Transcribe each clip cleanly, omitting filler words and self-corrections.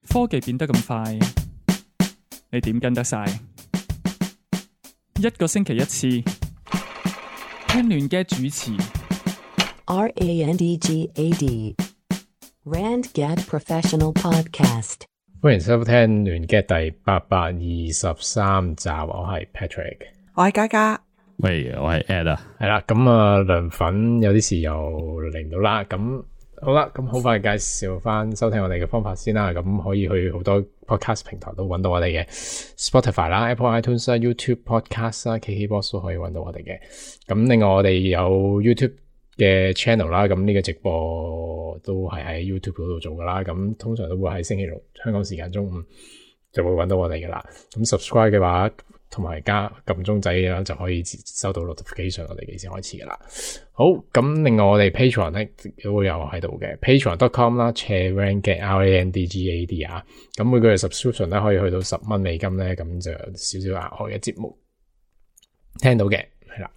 科技變得咁快，你點跟得晒？一個星期一次，聽亂嘅主持。RANDGAD RandGad Professional Podcast。歡迎收聽亂嘅第823集，我係 Patrick， 我係嘉嘉，喂，我係 Ed 啊，係啦，咁啊涼粉有啲事又嚟唔到啦，咁好啦，咁好快介紹翻收聽我哋嘅方法先啦，咁可以去好多 podcast 平台都揾到我哋嘅 Spotify 啦、Apple iTunes 啦、YouTube Podcast 啦、KKBox 都可以揾到我哋嘅，咁另外我哋有 YouTube 嘅 channel 啦，咁呢個直播都係喺 YouTube 嗰度做噶啦，咁通常都會喺星期六香港時間中午就會揾到我哋噶啦，咁 subscribe 嘅話同埋加撳鐘仔嘅話就可以收到 notification 我哋幾時開始噶啦。好，咁另外我哋 Patreon 咧都會有喺度嘅 patreon.com 啦 ，RandGad RANDGAD 啊，咁每個月 subscription 咧可以去到$10咧，咁就有少少額外嘅節目聽到嘅，係啦。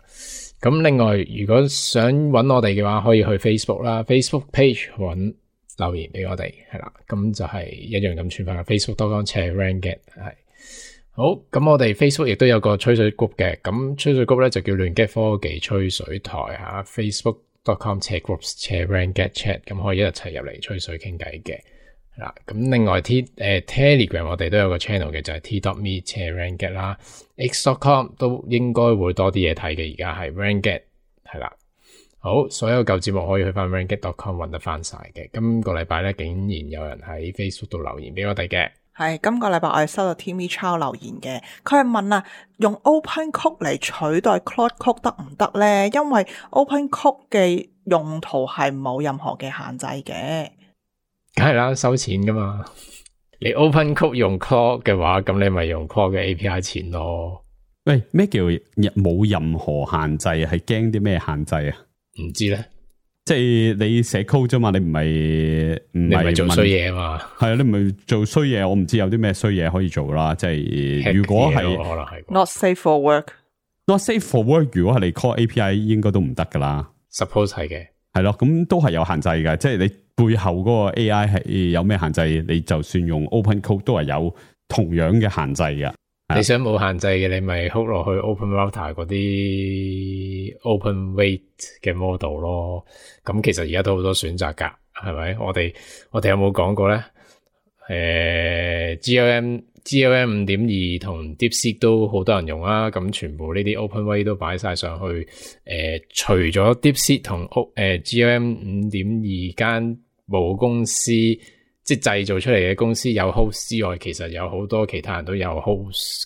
咁另外如果想揾我哋嘅話，可以去 Facebook 啦 ，Facebook page 揾留言俾我哋，係啦，咁就係一樣咁串法嘅 Facebook.com/RandGad 係。好，咁我哋 Facebook 亦都有個吹水 group 嘅，咁吹水 group 咧就叫亂 Gad 科技吹水台吓 ，Facebook.com/groups/RandGad Chat， 咁可以一齊入嚟吹水傾偈嘅，係啦。咁另外 Telegram 我哋都有個 channel 嘅，就係 t.me/RandGad 啦 ，x.com 都應該會多啲嘢睇嘅，而家係 RandGad 係啦。好，所有舊節目可以去翻 RandGad.com 揾得翻晒嘅。今個禮拜咧竟然有人喺 Facebook 度留言俾我哋嘅。係今個禮拜我哋收到 Timmy Chow 留言嘅，佢係問啊，用 OpenCode 嚟取代 Claude Code 得唔得咧？因為 OpenCode 嘅用途係冇任何嘅限制嘅。梗係啦，收錢噶嘛。你 OpenCode 用 Claude 嘅話，咁你咪用 Claude 嘅 API 錢咯。喂，咩叫冇任何限制？係驚啲咩限制啊？唔知咧。即係你寫 code 啫嘛，你唔係做衰嘢啊嘛，係啊，你唔係做衰嘢，我唔知有啲咩衰嘢可以做啦。即係如果係可能係 not safe for work，not safe for work， 如果係你 call API 應該都唔得噶啦。Suppose 係嘅，係咯，咁都係有限制嘅。即係你背後嗰個 AI 係有咩限制，你就算用 Open Code 都係有同樣嘅限制嘅。你想冇限制嘅，你咪 hook 落去 Open Router 嗰啲 Open Weight 嘅 model 咯。咁其實而家都好多選擇噶，係咪？我哋有冇講過咧？GLM 5.2 同 DeepSeek 都好多人用啦。咁全部呢啲 Open Weight 都擺晒上去。除咗 DeepSeek 同GLM 5.2 間母公司，即係製造出嚟嘅公司有 host 之外，其實有好多其他人都有 host，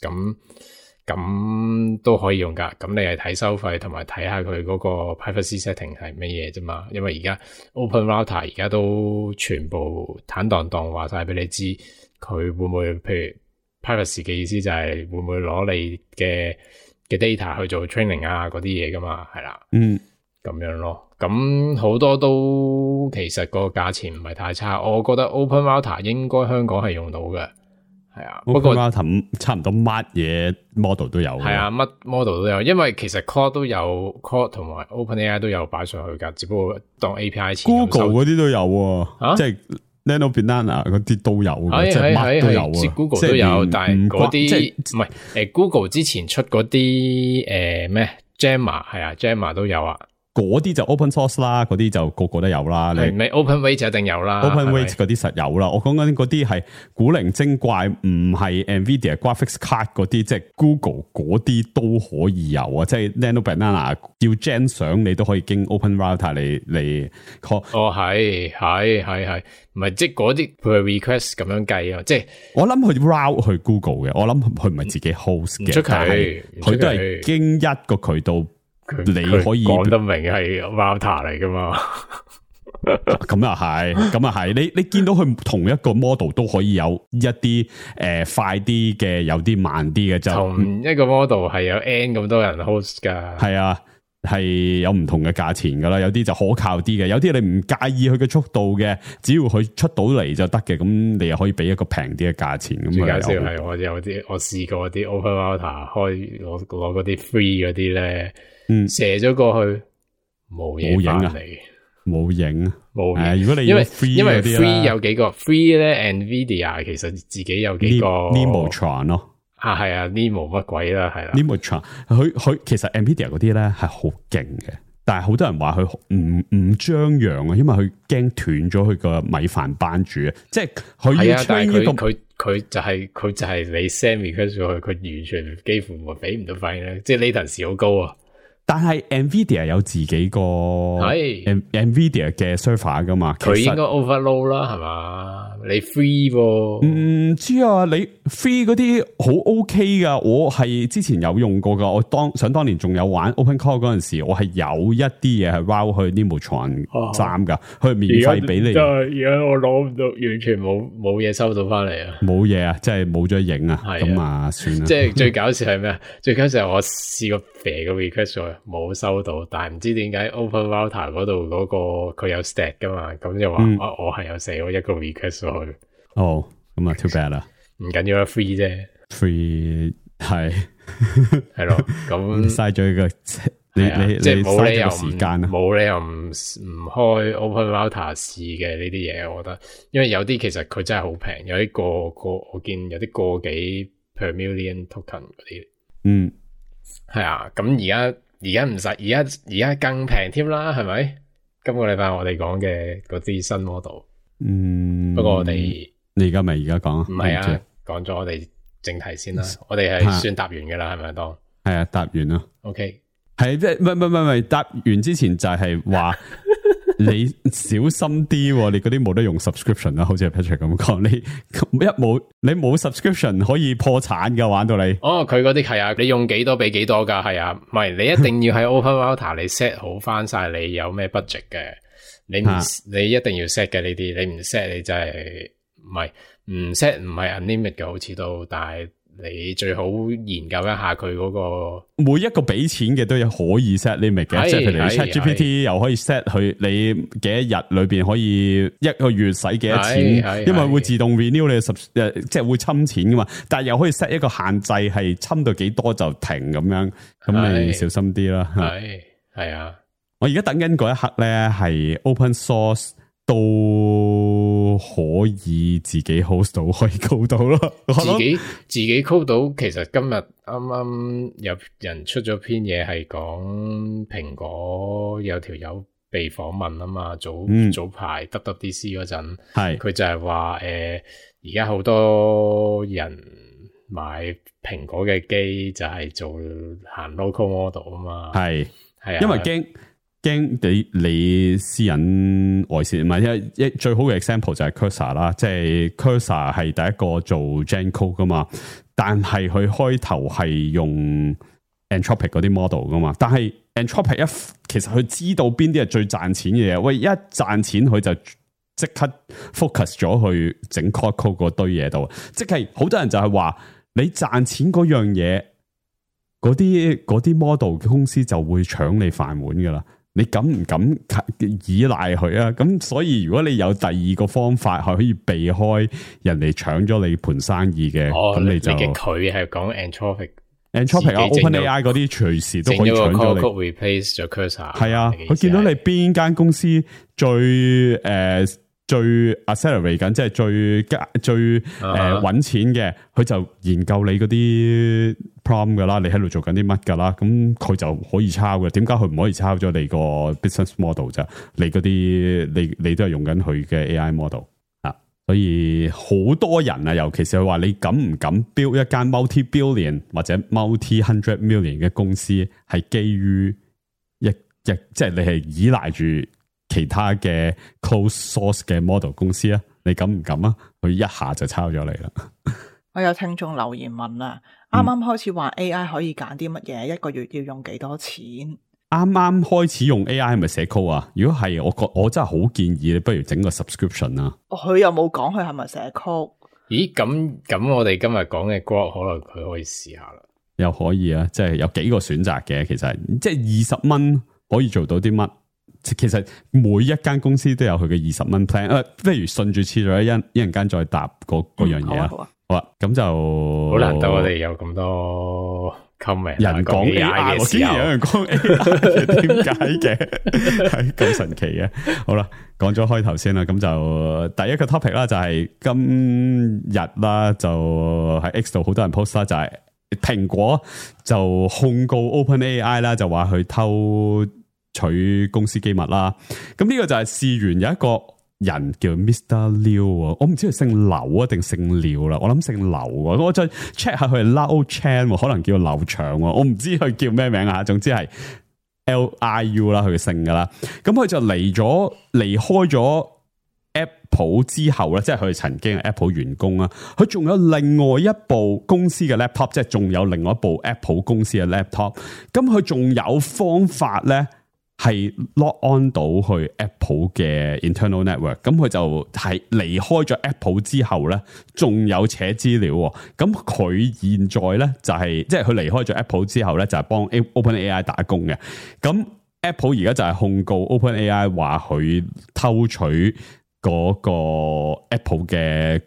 咁都可以用噶。咁你係睇收費同埋睇下佢嗰個 privacy setting 係乜嘢啫嘛。因為而家 Open Router 而家都全部坦蕩蕩話晒俾你知，佢會唔會譬如 privacy 嘅意思就係會唔會攞你嘅 data 去做 training 啊嗰啲嘢噶嘛，係啦，咁樣咯。咁好多都其實個價錢唔係太差，我覺得 Open Router 應該香港係用到嘅，係啊。不過 Open Router 差唔多乜嘢 model 都有，係啊，乜 model 都有，因為其實 Claude 都有 Claude 同埋 OpenAI 都有擺上去噶，只不過當 API 錢。Google 嗰啲都有，即係 Nano Banana 嗰啲都有，即係乜都有啊。Google 都有，但係嗰啲唔係Google 之前出嗰啲咩 Gemma 係啊 Gemma 都有啊。嗰啲就 open source 啦，嗰啲就個個都有啦。你咪 open weight 就一定有啦 ，open weight 嗰啲實有啦。我講緊嗰啲係古靈精怪，唔係 Nvidia graphics card 嗰啲，即係 Google 嗰啲都可以有啊。即係 Nano Banana 要 gen 相，你都可以經 open router 嚟 call。哦，係，唔係即係嗰啲佢係 request 咁樣計啊。即係我諗佢 route 去 Google 嘅，我諗佢唔係自己 host 嘅，出奇，佢都係經一個渠道。你可以講得明係 router 嚟噶嘛？咁又係，你見到佢同一個 model 都可以有一啲快啲嘅，有啲慢啲嘅，就同一個 model 係有 N 咁多人 host 噶。係啊，係有唔同嘅價錢噶啦，有啲就可靠啲嘅，有啲你唔介意佢嘅速度嘅，只要佢出到嚟就得嘅，咁你又可以俾一個平啲嘅價錢。咁最搞笑係我試過啲 open router 攞嗰啲 free 嗰啲咧。射咗過去冇嘢翻嚟，冇影冇如果你因為 free 因為嗰啲 free 有幾個 free 咧 ，Nvidia 其實自己有幾個 Nemotron 咯。係啊 Nemo 乜鬼啦，係啦 Nemotron 佢其實 Nvidia 嗰啲咧係好勁嘅，但係好多人話佢唔張揚啊，因為佢驚斷咗佢個米飯班主啊，即係佢要 train 一個佢就係你 send request 咗佢完全幾乎俾唔到反應咧，即係 latency 好高啊。但係 Nvidia 有自己個 Nvidia 嘅 server 噶嘛，佢應該 overload 啦，係嘛？你 free 喎？唔知啊，你 free 嗰啲好 OK 噶，我係之前有用過噶，我當年仲有玩 OpenCore 嗰陣時，我係有一啲嘢係 route 去 Nemotron 3噶，佢免費俾你。而家我攞唔到，完全冇嘢收到翻嚟啊！冇嘢啊，即係冇咗影啊，咁啊算啦。即係最搞笑係咩啊？最搞笑係我試過肥個 request 咗，冇收到，但係唔知點解 OpenRouter 嗰度嗰個佢有 stat 噶嘛，咁就話我係有寫咗一個 request 咗去。哦，咁啊 too bad 啦，唔緊要啦 ，free 啫 ，free 係咯，咁嘥咗一個你即係冇理由時間啊，冇理由唔開 OpenRouter 試嘅呢啲嘢，我覺得，因為有啲其實佢真係好平，有啲個我見有啲個幾 per million token 嗰啲，係啊，咁而家唔使，而家更平添啦，係咪？今個禮拜我哋講嘅嗰啲新 model，不過我哋你而家咪而家講啊？唔係啊，講咗我哋正題先啦，我哋係算答完噶啦，係咪當？係啊，答完啦。OK， 係即係唔係答完之前就係話你小心啲，你嗰啲冇得用 subscription 啦，好似 Patrick 咁講，你冇 subscription 可以破產噶，玩到你。哦，佢嗰啲係啊，你用幾多俾幾多噶，係啊，唔係你一定要喺 OpenRouter 你 set 好翻晒你有咩 budget 嘅，你一定要 set 嘅呢啲，你唔 set 你真係唔 set 唔係 unlimited 嘅，好似都，但係你最好研究一下佢嗰個每一個俾錢嘅都有可以 set limit 嘅，即係譬如 ChatGPT 又可以 set 佢你幾多日裏邊可以一個月使幾多錢，因為會自動 renew 你即係會侵錢噶嘛，但係又可以 set 一個限制係侵到幾多就停咁樣，咁你小心啲啦。係啊，我而家等緊嗰一刻咧，係 open source 都可以自己 host 到，可以 code 到咯。自己 code 到，其實今日啱啱有人出咗篇嘢係講蘋果有條友被訪問啊嘛，早排 WWDC 嗰陣，係佢就係話而家好多人買蘋果嘅機就係做行 local model 啊嘛，係啊，因為驚你私隱外泄，唔係最好嘅 example 就係 Cursor 啦，即係 Cursor 係第一個做 Gen Code 噶嘛，但係佢開頭係用 Anthropic 嗰啲 model 噶嘛，但係 Anthropic 其實佢知道邊啲係最賺錢嘅嘢，喂，一賺錢佢就即刻 focus 咗去整 code 嗰堆嘢度，即係好多人就係話你賺錢嗰樣嘢，嗰啲 model 嘅公司就會搶你飯碗噶啦。你敢唔敢依賴佢啊？咁所以如果你有第二個方法係可以避開人哋搶咗你盤生意嘅，咁你就佢係講 Anthropic 啊 ，OpenAI 嗰啲隨時都可以搶咗你。replace 咗 Cursor 係啊，佢見到你邊間公司最 accelerate 緊，即係最搵錢嘅，佢就研究你嗰啲 prompt 噶啦，你喺度做緊啲乜噶啦，咁佢就可以抄嘅。點解佢唔可以抄咗你個 business model 啫？你嗰啲你都係用緊佢嘅 AI model 啊，所以好多人啊，尤其是佢話你敢唔敢 build 一間 multi-billion 或者 multi-hundred million 嘅公司，係基於即係你係依賴住其他嘅 close source 嘅 model 公司啊，你敢唔敢啊？佢一下就抄咗你啦。我有聽眾留言問啊，啱啱開始話 AI 可以揀啲乜嘢，一個月要用幾多錢？啱啱開始用 AI 係咪寫 code 啊？如果係，我真係好建議你不如整個 subscription 啊。佢又冇講佢係咪寫 code？咦，咁我哋今日講嘅 Grok 可能佢可以試下啦。又可以啊，即係有幾個選擇嘅，其實即係20蚊可以做到啲乜？其實每一間公司都有佢嘅20蚊 plan，不如順住次序一陣間再答嗰樣嘢啊。好啊，咁就好難得我哋有咁多 comment 人講 AI， 我竟然有人講 AI 嘅，點解嘅？係咁神奇嘅。好啦，講咗開頭先啦，咁就第一個 topic 啦，就係今日啦，就喺 X 度好多人 post 啦，就係蘋果就控告 OpenAI 啦，就話佢偷取公司機密啦。咁呢個就係事源有一個人叫 Mr. Liu， 我唔知佢姓劉啊定姓廖啦，我諗姓劉，我再 check 下佢係 Lao Chan， 可能叫劉翔，我唔知佢叫咩名啊，總之係 Liu 啦，佢嘅姓噶啦。咁佢就離開咗 Apple 之後咧，即係佢曾經係 Apple 員工啊，佢仲有另外一部公司嘅 laptop， 即係仲有另外一部 Apple 公司嘅 laptop， 咁佢仲有方法咧，係 log on 到去 Apple 嘅 internal network， 咁佢就係離開咗 Apple 之後咧，仲有扯資料。咁佢現在咧就係即係佢離開咗 Apple 之後咧，就係幫 OpenAI 打工嘅。咁 Apple 而家就係控告 OpenAI 話佢偷取嗰個 Apple 嘅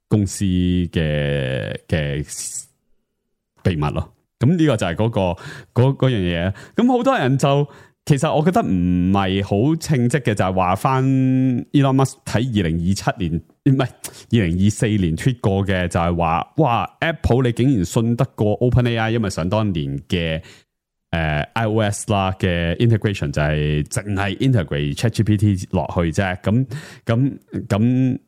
公司嘅秘密咯。咁呢個就係嗰樣嘢。咁好多人就其實我覺得唔係好稱職嘅，就係話翻 Elon Musk 喺2027年唔係2024年 tweet 過嘅，就係話哇 Apple 你竟然信得過 OpenAI， 因為想當年嘅iOS 啦嘅 integration 就係淨係 integrate ChatGPT 落去啫。咁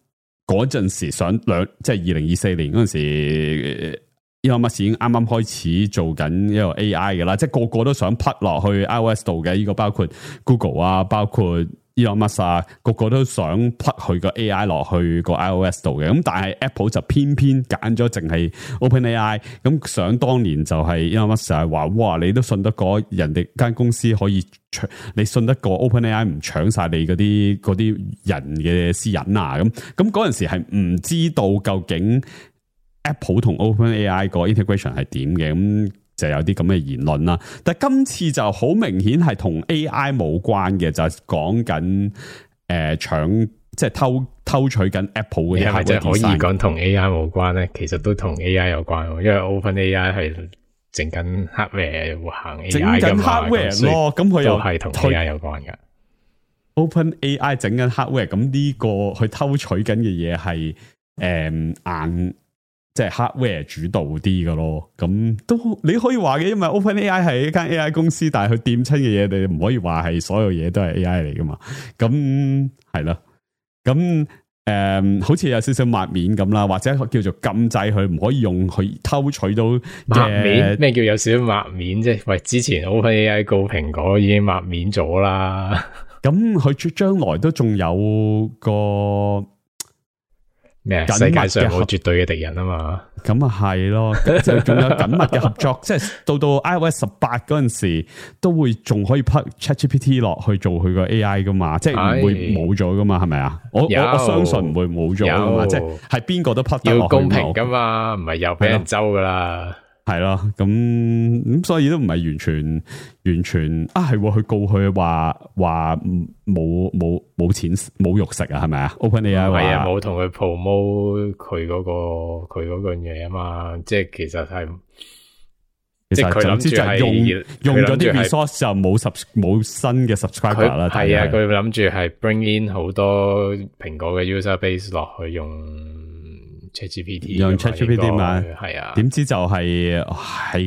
嗰陣時即係2024年嗰陣時。Elon Musk 已經啱啱開始做緊一個 AI 嘅啦，即係個個都想 plug 落去 iOS 度嘅，呢個包括 Google 啊，包括 Elon Musk 啊，個個都想 plug 佢個 AI 落去個 iOS 度嘅。咁但係 Apple 就偏偏揀咗淨係 OpenAI。咁想當年就係 Elon Musk 就係話，哇，你都信得過人哋間公司可以你信得過 OpenAI 唔搶晒你嗰啲人嘅私隱啊？咁嗰陣時係唔知道究竟Apple 同 OpenAI 個 integration 係點嘅，咁就有啲咁嘅言論啦。但係今次就好明顯係同 AI 冇關嘅，就係講緊搶即係偷取緊 Apple 嘅。係咪即係可以講同 AI 冇關咧？其實都同 AI 有關，因為 OpenAI 係整緊 hardware 行 AI 噶嘛， hardware 咯，咁佢又係同 AI 有關噶。OpenAI 整緊 hardware， 咁呢個佢偷取緊嘅嘢係硬。即係 hardware 主導啲嘅咯，咁都你可以話嘅，因為 OpenAI 係一間 AI 公司，但係佢掂親嘅嘢，你唔可以話係所有嘢都係 AI 嚟噶嘛。咁係咯，咁好似有少少抹面咁啦，或者叫做禁制佢唔可以用佢偷取到抹面。咩叫有少少抹面啫？喂，之前 OpenAI 告蘋果已經抹面咗啦。咁佢將來都仲有個。咩？世界上冇絕對嘅敵人啊嘛，咁啊係咯，就仲有緊密嘅合作，即係到 iOS 18嗰陣時，都會仲可以 plug ChatGPT 落去做佢個 AI 噶嘛，即係唔會冇咗噶嘛，係咪啊？我相信唔會冇咗噶嘛，即係邊個都 plug 得落去，要公平噶嘛，唔係又俾人周噶啦。係咯，咁所以都唔係完全啊，係佢告佢話冇錢冇肉食啊，係咪啊 ？OpenAI 係啊，冇同佢 promote 佢嗰個嘢啊嘛，即係其實係，即係佢諗住係用咗啲 resource 就冇新嘅 subscriber 啦。係啊，佢諗住係 bring in 好多蘋果嘅 user base 落去用。ChatGPT 用 ChatGPT 嘛，係啊，點知就係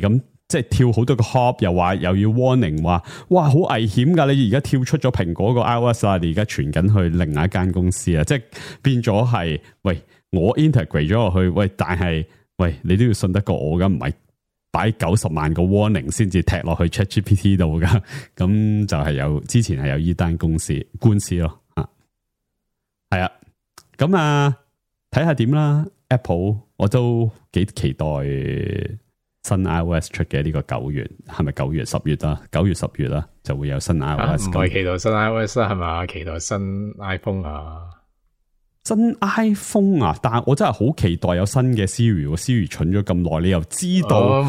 咁，即係跳好多個 hop， 又話又要 warning 話，哇，好危險噶！你而家跳出咗蘋果個 iOS 啊，你而家傳緊去另外一間公司啊，即係變咗係，喂，我 integrate 咗落去，喂，但係，喂，你都要信得過我噶，唔係擺90萬個 warning 先至踢落去 ChatGPT 度噶，咁就係之前係有呢單官司咯，係啊，咁啊。睇下點啦 ，Apple 我都幾期待新 iOS 出嘅呢個9月，係咪9月10月啊？9月10月啦，就會有新 iOS。唔係期待新 iOS 係嘛？期待新 iPhone 啊？新 iPhone 啊？但係我真係好期待有新嘅 Siri 蠢咗咁耐，你又知道？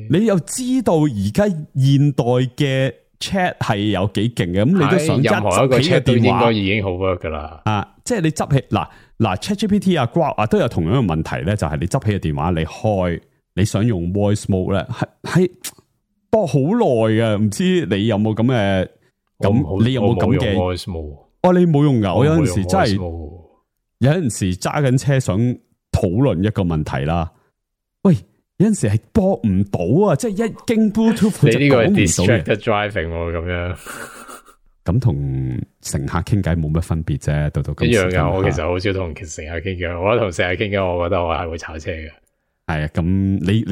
你又知道而家現代嘅 Chat 係有幾勁嘅？咁你都想任何一個 Chat 都應該已經好 work 噶啦。啊，即係你執起嗱 ChatGPT 啊 Grok 啊都有同樣嘅問題咧，就係你執起個電話，你開你想用 voice mode 咧，係播好耐嘅，唔知你有冇咁嘅咁？你有冇咁嘅 voice mode？哦，你冇用噶，我有陣時真係 voice mode 有陣時揸緊車想討論一個問題啦。喂，有陣時係播唔到啊，即係一經 Bluetooth 就你呢個係講唔到 distracted driving 喎，咁樣咁同乘客傾偈冇乜分別啫，到今時今日一樣噶。我其實好少同乘客傾偈，我覺得同乘客傾偈，我覺得我係會炒車嘅。係啊，咁你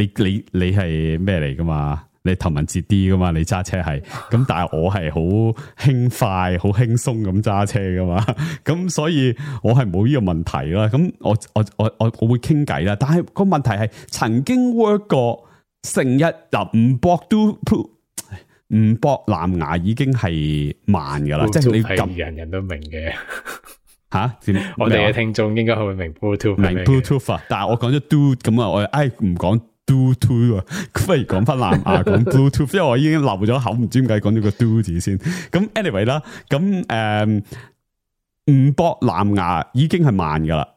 係咩嚟噶嘛？你頭文字 D 噶嘛？你揸車係咁，但係我係好輕快、好輕鬆咁揸車噶嘛？咁所以我係冇呢個問題啦。咁我會傾偈啦，但係個問題係曾經 work 過成日唔駁都唔駁藍牙已經係慢噶啦，即係你撳人人都明嘅。吓？我哋嘅聽眾應該會明 Bluetooth，明 Bluetooth 啊，但係我講咗 do 咁啊，我唔講 do to 啊，不如講翻藍牙講 Bluetooth， 因為我已經漏咗口，唔知點解講咗個 do 字先。咁 anyway 啦，咁唔駁藍牙已經係慢噶啦，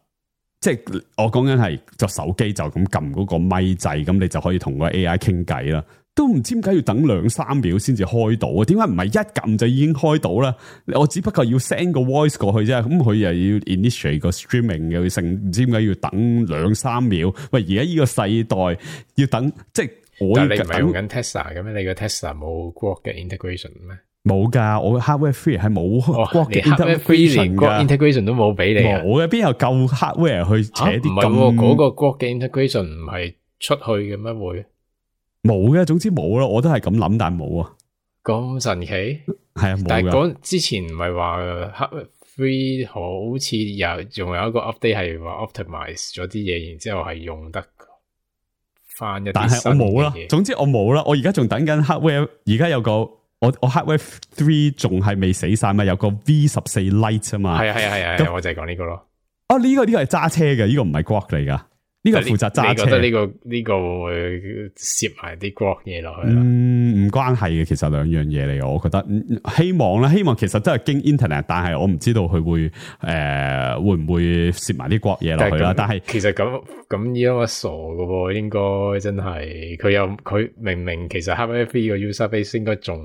即係我講緊係就手機就咁撳嗰個咪掣，咁你就可以同個 AI 傾偈啦。都唔知點解要等2-3秒先至開到啊？點解唔係一撳就已經開到啦？我只不過要 send 個 voice 過去啫，咁佢又要 initiate 個 streaming， 又要成唔知點解要等2-3秒？喂，而家呢個世代要等，即係我但係你唔係用緊 Tesla 嘅咩？你個 Tesla 冇 Grok 嘅 integration 咩？冇噶，我 hardware free 係冇 Grok 嘅 integration 噶 ，integration 都冇俾你啊！冇嘅，邊有夠 hardware 去扯啲咁？嗰個 Grok 嘅 integration 唔係出去嘅咩會？冇嘅，總之冇咯，我都係咁諗，但係冇啊。咁神奇係啊，但係之前唔係話 hardware free 好似仲有一個 update 係話 optimize 咗啲嘢，然之後係用得翻一啲，但係我冇啦。總之我冇啦，我而家仲等緊 hardware， 而家有個我 hardware 3仲係未死晒嘛，有個 V14 Lite 啊嘛。係啊，我就係講呢個咯。哦，呢個係揸車嘅，呢個唔係 Grok 嚟噶。呢個負責揸車，你覺得呢個會攝埋啲 Grok 嘢落去？唔關係嘅，其實兩樣嘢嚟。我覺得希望其實都係經 internet， 但係我唔知道佢會唔會攝埋啲 Grok 嘢落去啦。但係其實咁依家我傻噶喎，應該真係佢明其實 hardware free 個 user base 應該仲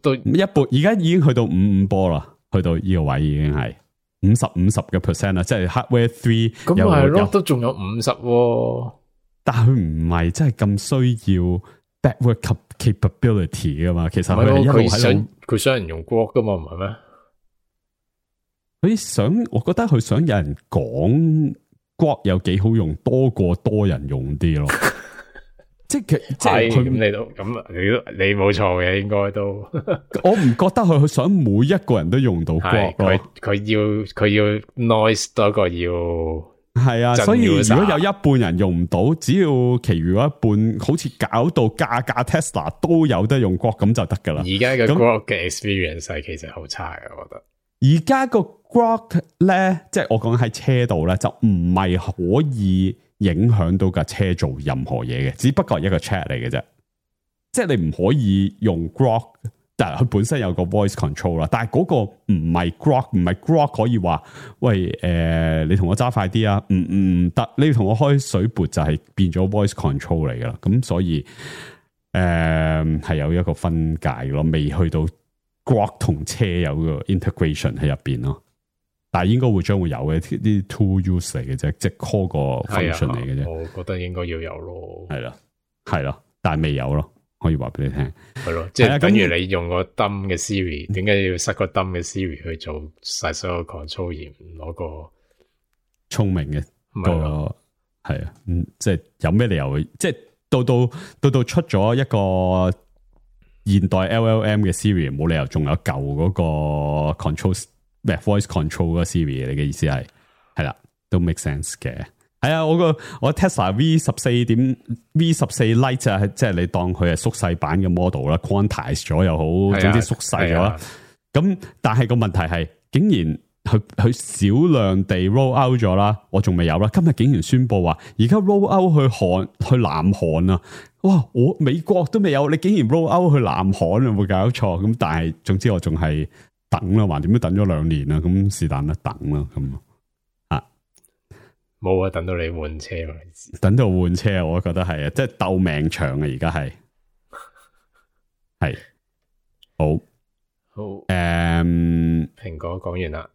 都一半，而家已經去到55波啦，去到呢個位已經係。50% 啦，即係 hardware 3咁係咯，都仲有50，但係佢唔係真係咁需要 backward capability 噶嘛。其實佢係一路喺度，佢想人用 Grok 噶嘛，唔係咩？我覺得佢想有人講 Grok 有幾好用，多過多人用啲咯。即係佢咁你冇錯嘅，應該都我唔覺得佢想每一個人都用到 Grok 咯。佢要 noise 多過要係啊，所以如果有一半人用唔到，只要其餘嗰一半好似搞到架 Tesla 都有得用 Grok 咁就得噶啦。而家嘅 Grok 嘅 experience 係其實好差嘅，我覺得。而家個 Grok 咧，即係我講喺車度咧，就唔係可以影響到架車做任何嘢嘅，只不過係一個 chat 嚟嘅啫。即係你唔可以用 Grok， 但係佢本身有個 voice control 啦。但係嗰個唔係 Grok 可以話喂你同我揸快啲啊？唔得，你同我開水撥就係變咗 voice control 嚟噶啦。咁所以係有一個分界咯，未去到 Grok 同車有個 integration 喺入邊咯。但係應該將會有嘅啲 tool use 嚟嘅啫，即係 call 個 function 嚟嘅啫。我覺得應該要有咯。係咯，但係未有咯，可以話俾你聽。係咯，即係等於你用個 dumb 嘅 Siri， 點解要塞個 dumb 嘅 Siri 去做晒所有 control 而唔攞個聰明嘅個係啊？即係有咩理由？即係到出咗一個現代 LLM 嘅 Siri， 冇理由仲有舊嗰個 control。voice control 個 Siri， 你嘅意思係啦，都 make sense 嘅。係啊，我 Tesla V14 Lite 啊，即係你當佢係縮細版嘅 model 啦 ，quantize 咗又好，總之縮細咗啦。咁但係個問題係，竟然佢少量地 roll out 咗啦，我仲未有啦。今日竟然宣布話，而家 roll out 去南韓啊！哇，我美國都未有，你竟然 roll out 去南韓，有冇搞錯？咁但係總之我仲係。等啦，橫掂都等咗2年啦，咁是但啦，等啦咁啊。冇啊，等到你換車嘛，等到換車，我覺得係啊，即係鬥命長啊，而家係好。好，蘋果講完啦。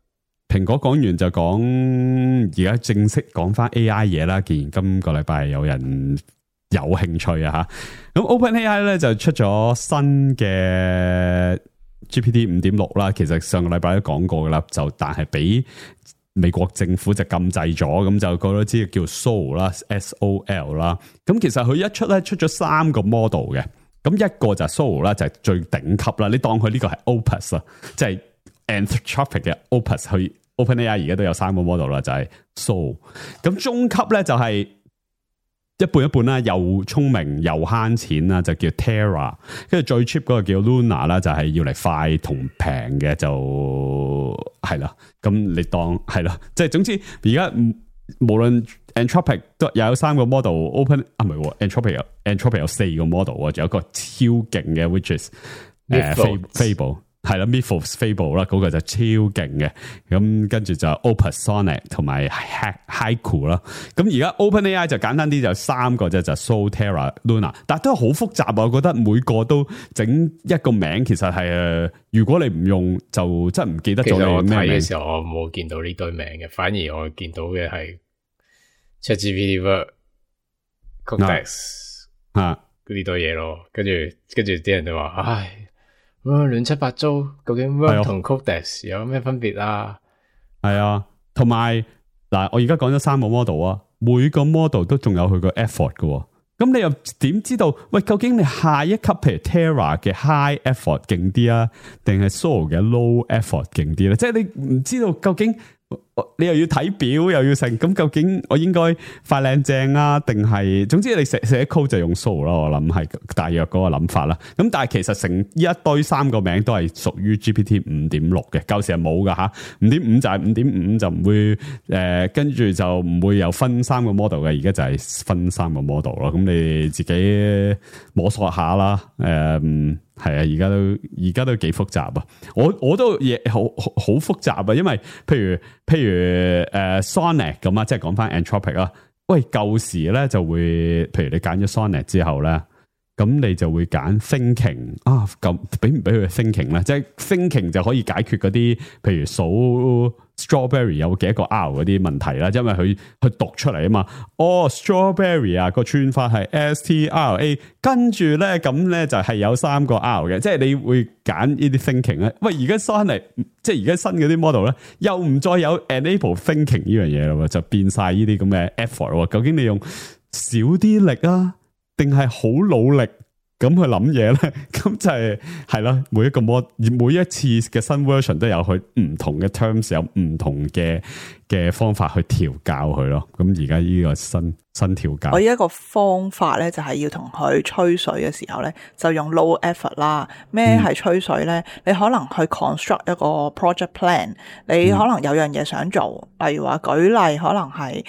蘋果講完就講而家正式講翻 AI 嘢啦。既然今個禮拜有人有興趣啊吓，咁 OpenAI 咧就出咗新嘅 GPT 5.6啦。其實上個禮拜都講過噶啦，就但係俾美國政府就禁制咗，咁就個都知叫 Sol 啦 ，SOL 啦。咁其實佢一出咧出咗3個 model 嘅，咁一個就係 Sol 啦，就係最頂級啦。你當佢呢個係 Opus 啊，即係 Anthropic 嘅 Opus 去。OpenAI 而家都有3個 model 啦，就係 Sol。咁中級咧就係一半一半啦，又聰明又慳錢啦，就叫 Terra。跟住最 cheap 嗰個叫 Luna 啦，就係要嚟快同平嘅，就係啦。咁你當係啦，即係總之而家無論 Anthropic 都有3個 model，Open 唔係 Anthropic 有4個 model 啊，仲有一個超勁嘅 which is Fable。係啦 ，Mythos Fable 啦，嗰個就超勁嘅。咁跟住就 Opus Sonnet 同埋 Haiku 啦。咁而家 OpenAI 就簡單啲，就3個啫，就 Sol Terra、Luna， 但係都係好複雜啊！我覺得每個都整一個名，其實係如果你唔用，就真係唔記得咗。其實我睇嘅時候，我冇見到呢堆名嘅，反而我見到嘅係 ChatGPT、Codex 嗰啲堆嘢咯。跟住啲人就話，唉。亂七八糟，究竟 Word 同 Codex 有咩分別啊？係啊，同埋嗱，我而家講咗3個 model 啊，每個 model 都仲有佢個 effort 嘅。咁你又點知道？喂，究竟你下一級譬如 Terra 嘅 high effort 勁啲啊，定係 Sol 嘅 low effort 勁啲咧？即係你唔知道究竟。你又要睇表又要成，咁究竟我應該快靚正啊，定係總之你寫 code 就用 Sol 啦，我諗係大約嗰個諗法啦。咁但係其實成一堆3個名都係屬於 GPT 5.6嘅，舊時係冇噶吓。5.5 就係 5.5 就唔會跟住就唔會有分3個 model 嘅，而家就係分3個 model 咯。咁你自己摸索下啦，係啊，而家都幾複雜啊！我都嘢好複雜啊，因為譬如Sonnet 咁啊，即係講翻 Anthropic 啊。喂，舊時咧就會，譬如你揀咗 Sonnet 之後咧，咁你就會揀 Thinking 啊，咁俾唔俾佢 Thinking 咧？即係 Thinking 就可以解決嗰啲，譬如數 Strawberry 有幾多個 R 嗰啲問題啦，因為佢讀出嚟啊嘛。哦 ，Strawberry 啊個串法係 STRA， 跟住咧咁咧就係有3個 R 嘅，即係你會揀呢啲 Thinking 咧。喂，而家新嚟，即係而家新嗰啲 model 咧，又唔再有 enable Thinking 呢樣嘢咯，就變晒呢啲咁嘅 effort。究竟你用少啲力啊，定係好努力咁去諗嘢咧？咁就係啦，每一次嘅新 version 都有佢唔同嘅 terms， 有唔同嘅方法去調教佢咯。咁而家呢個新調教，我一個方法咧就係要同佢吹水嘅時候咧，就用 low effort 啦。咩係吹水咧？你可能去 construct 一個 project plan， 你可能有樣嘢想做，例如話舉例，可能係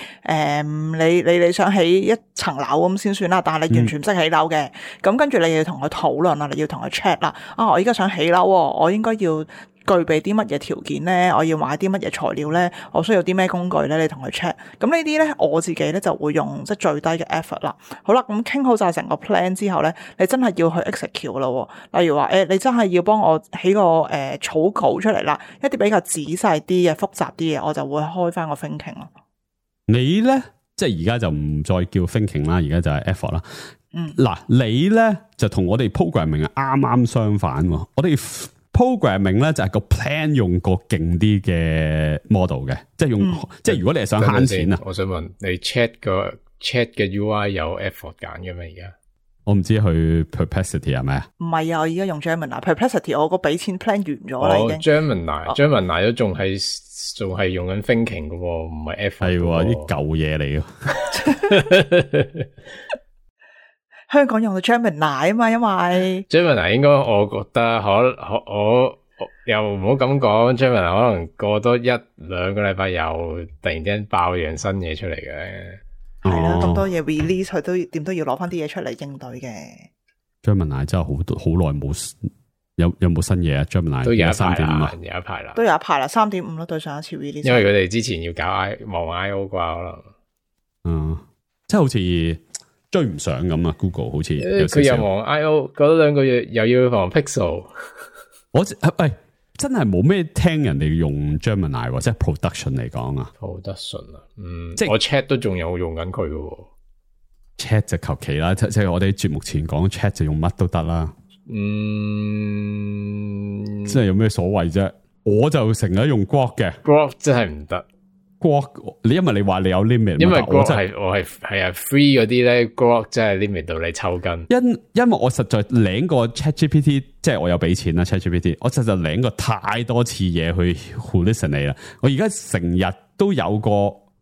你想起一層樓咁先算啦，但係你完全唔識起樓嘅，咁跟住你要同佢討論啦，你要同佢 check 啦。我依家想起樓，我應該要具備啲乜嘢條件咧？我要買啲乜嘢材料咧？我需要啲咩工具咧？你同佢 check。咁呢啲咧，我自己咧就會用即係最低嘅 effort 啦。好啦，咁傾好晒成個 plan 之後咧，你真係要去 execute 咯。例如話你真係要幫我起個草稿出嚟啦，一啲比較仔細啲嘅、複雜啲嘅，我就會開翻個 thinking 咯。你咧，即係而家就唔再叫 thinking 啦，而家就係 effort 啦。嗱，你咧就同我哋 programming 係啱啱相反。我哋programming 咧就係個 plan 用個勁啲嘅 model 嘅，即係用即係如果你係想慳錢啊。我想問你 chat 嘅 UI 有 effort 揀嘅咩？而家我唔知去 Perplexity 係咪啊？唔係啊，我而家用 Gemini。Perplexity 我個俾錢 plan 完咗啦已經。Gemini 都仲係用緊 thinking 嘅，唔係 effort。係啲舊嘢嚟嘅。香港用到 Gemini 啊嘛，因為 Gemini 應該我覺得我又唔好咁講 Gemini 可能過多1-2個禮拜又突然間爆樣新嘢出嚟嘅。係啦，咁多嘢 release 佢都點都要攞翻啲嘢出嚟應對嘅。Gemini 真係好耐冇有冇新嘢啊 ？Gemini 都有一排啦，都有一排啦，3.5咯，對上一次 release。因為佢哋之前要搞望 I/O 啩，可能即係好似追唔上咁啊 ！Google 好似佢又忙 I/O 嗰2個月，又要忙 Pixel。我真係冇咩聽人哋用 Gemini 或者 production 嚟講啊 ，production 啊，即係我 chat 都仲有用緊佢嘅。chat 就求其啦，即係我哋節目前講 chat 就用乜都得啦。即係有咩所謂啫？我就成日用 Grok 嘅 ，Grok 真係唔得。Grok 因為你話你有 limit，因為 Grok 我係 free 嗰啲咧 ，Grok 真係 limit 到你抽筋。因為我實在領過 ChatGPT， 即係我有俾錢啦 ChatGPT， 我實在領過太多次嘢去 hallucinate 啦。我而家成日都有個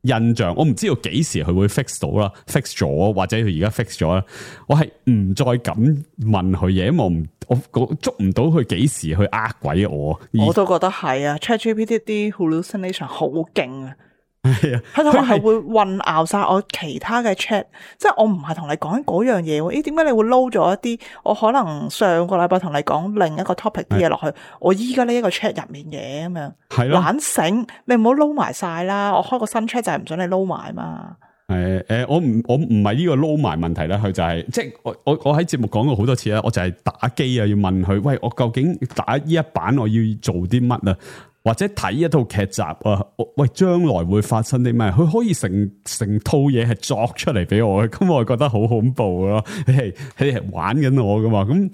印象，我唔知道幾時佢會 fix 到啦 ，fix 咗或者佢而家 fix 咗啦。我係唔再敢問佢嘢，因為我捉唔到佢幾時去鬼我。我都覺得係啊 ，ChatGPT 啲 hallucination 好勁啊！係啊，佢同埋係會混淆晒我其他嘅 chat，即係我唔係同你講緊嗰樣嘢喎。點解你會撈咗一啲我可能上個禮拜同你講另一個 topic 啲嘢落去，我依家呢一個 chat 入面嘅咁樣，係咯，懶醒，你唔好撈埋晒啦。我開個新 chat 就係唔想你撈埋嘛。我唔係呢個撈埋問題啦，佢就係即係我喺節目講過好多次啦，我就係打機啊，要問佢，喂，我究竟打呢一版我要做啲乜啊？或者睇一套劇集啊，喂，將來會發生啲咩？佢可以成套嘢係作出嚟俾我嘅，咁我覺得好恐怖咯。你係玩緊我噶嘛？咁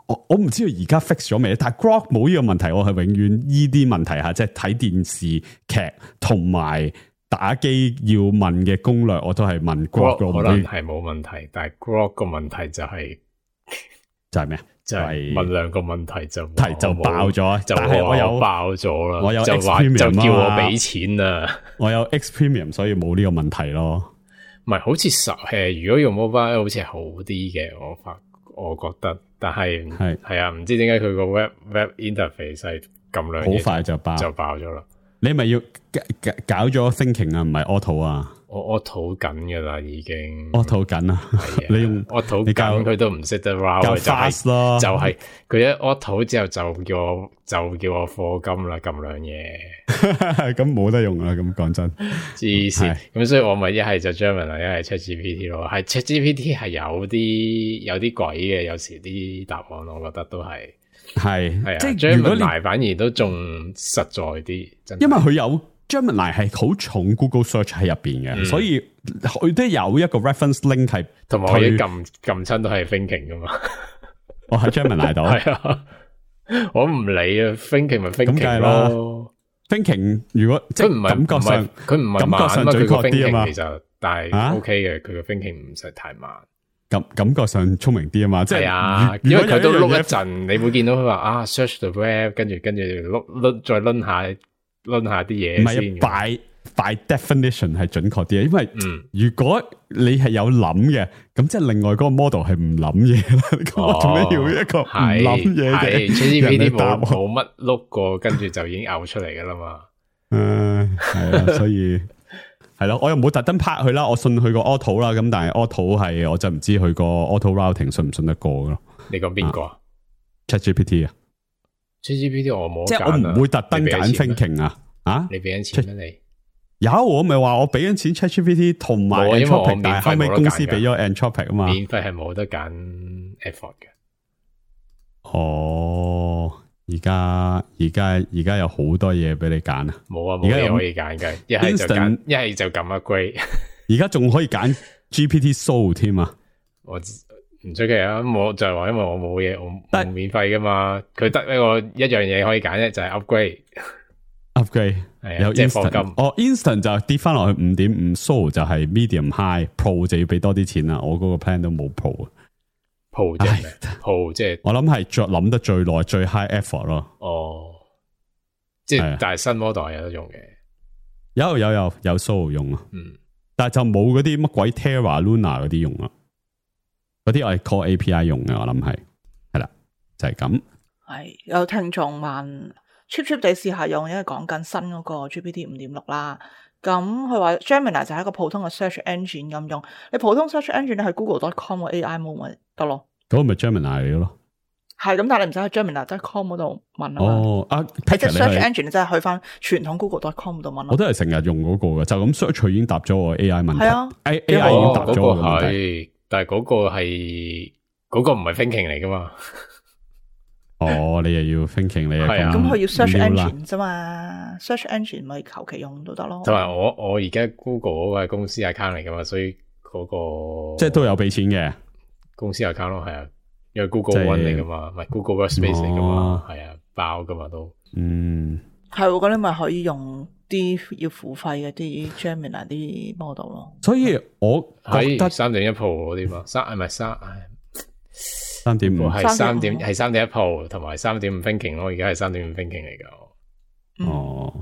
我唔知道而家 fix 咗未？但係 Grok 冇呢個問題，我係永遠依啲問題下，即係睇電視劇同埋打機要問嘅攻略，我都係問 Grok。可能係冇問題，但係 Grok 個問題就係咩啊？就係問2個問題就爆咗，但係我有爆咗啦，我有就 X 話 Premium 就叫我俾錢啦，我有 X Premium 所以冇呢個問題咯。唔係好似如果用 mobile 好似係好啲嘅，我覺得，但係係啊，唔知點解佢個 web interface 係咁兩嘢好快就爆咗啦。你咪要搞咗 thinking 啊，唔係 auto 啊？我討緊噶啦，已經我討緊啊！你用我討緊，佢都唔識得 route，較 fast 咯，就係佢一我討之後就叫我課金啦，撳兩嘢，咁冇得用啦。咁講真，黐線咁，所以我咪一係就 Gemini，一係 ChatGPT 咯。係 ChatGPT 係有啲鬼嘅，有時啲答案我覺得都係啊，即係 Gemini 反而都仲實在啲，因為佢有。Gemini 係好重 Google Search 喺入邊嘅，所以佢都有一個 reference link 係，同埋我一撳親都係 thinking 噶嘛。我喺 Gemini 度，係啊，我唔理啊 ，thinking 咪 thinking 咯。thinking 如果即係感覺上，佢唔係感覺上準確啲啊嘛。其實但係 OK 嘅，佢個 thinking 唔使太慢。感覺上聰明啲啊嘛，即係啊，因為佢都碌一陣，你會見到佢話search the web，跟住碌再掄下啲嘢，唔係by definition 係準確啲，因為如果你係有諗嘅，咁即係另外嗰個 model 係唔諗嘢啦。我做咩要一個唔諗嘢嘅？ChatGPT 冇乜碌過，跟住就已經嘔出嚟噶啦嘛。係啊，所以係咯，我又冇特登拍佢啦，我信佢個 auto 啦，咁但係 auto 係我就唔知佢個 auto routing 信唔信得過咯。你講邊個啊 ？ChatGPT 啊？ ChatGPT 我冇，即係我唔會特登揀 thinking 啊！你俾緊錢咩？你有我咪話我俾緊錢 ChatGPT 同埋 Anthropic， 但係後尾公司俾咗 Anthropic 啊嘛。免費係冇得揀 effort 嘅。哦，而家有好多嘢俾你揀啊！冇啊，冇嘢可以揀嘅，一係就揀，一係就撳 upgrade。而家仲可以揀 GPT Soul 添啊！我唔出奇啊！我就係話，因為我冇嘢，我冇免費噶嘛。佢得一樣嘢可以揀啫，就係 upgrade。係有 instant， instant 就跌翻落去 5.5， Soul 就係 medium high，Pro 就要俾多啲錢啦。我嗰個 plan 都冇 Pro。Pro 即係咩 ？Pro 即係我諗係諗得最耐最 high effort 咯。哦，即係但係新 model 係有得用嘅。有 Soul 用啊，但係就冇嗰啲乜鬼 Terra、Luna 嗰啲用啦。嗰啲我係 call API 用嘅，我諗係啦，就係咁。係有聽眾問 cheap 地試下用，因為講緊新嗰個 GPT 5.6啦。咁佢話 Gemini 就係一個普通嘅 search engine 咁用，你普通 search engine 你去 Google.com 個 AI mode 咪得咯。嗰個咪 Gemini 嚟咯。係咁，但係你唔使去 Gemini.com 嗰度問啊嘛。哦，啊即係 Patrick， search 你係 engine 即係去翻傳統 Google.com 度問咯。我都係成日用嗰個嘅，就咁 search 佢已經答咗我 AI 問題。係啊 AI 已哦經答咗我嘅問嗰個題。係，但係嗰個係嗰個唔係 thinking 嚟噶嘛？哦，你又要 thinking，你又係啊咁佢要 search 撩啦 engine 啫嘛，search engine 咪求其用都得咯。同埋我而家 Google 嗰個係公司 account 嚟噶嘛，所以嗰個即係都有俾錢嘅。公司 account 咯，係啊，因為 Google 即係 One 嚟噶嘛，唔係 Google Workspace 嚟噶嘛哦，係啊，包噶嘛都。嗯，係喎，咁你咪可以用啲要付費嘅啲 Gemini 啲 model 咯。所以我覺喺得3.1 Pro 嗰啲嘛，唔係3.5係3.1 Pro 同埋3.5 thinking 咯，而家係3.5 thinking 嚟噶。哦，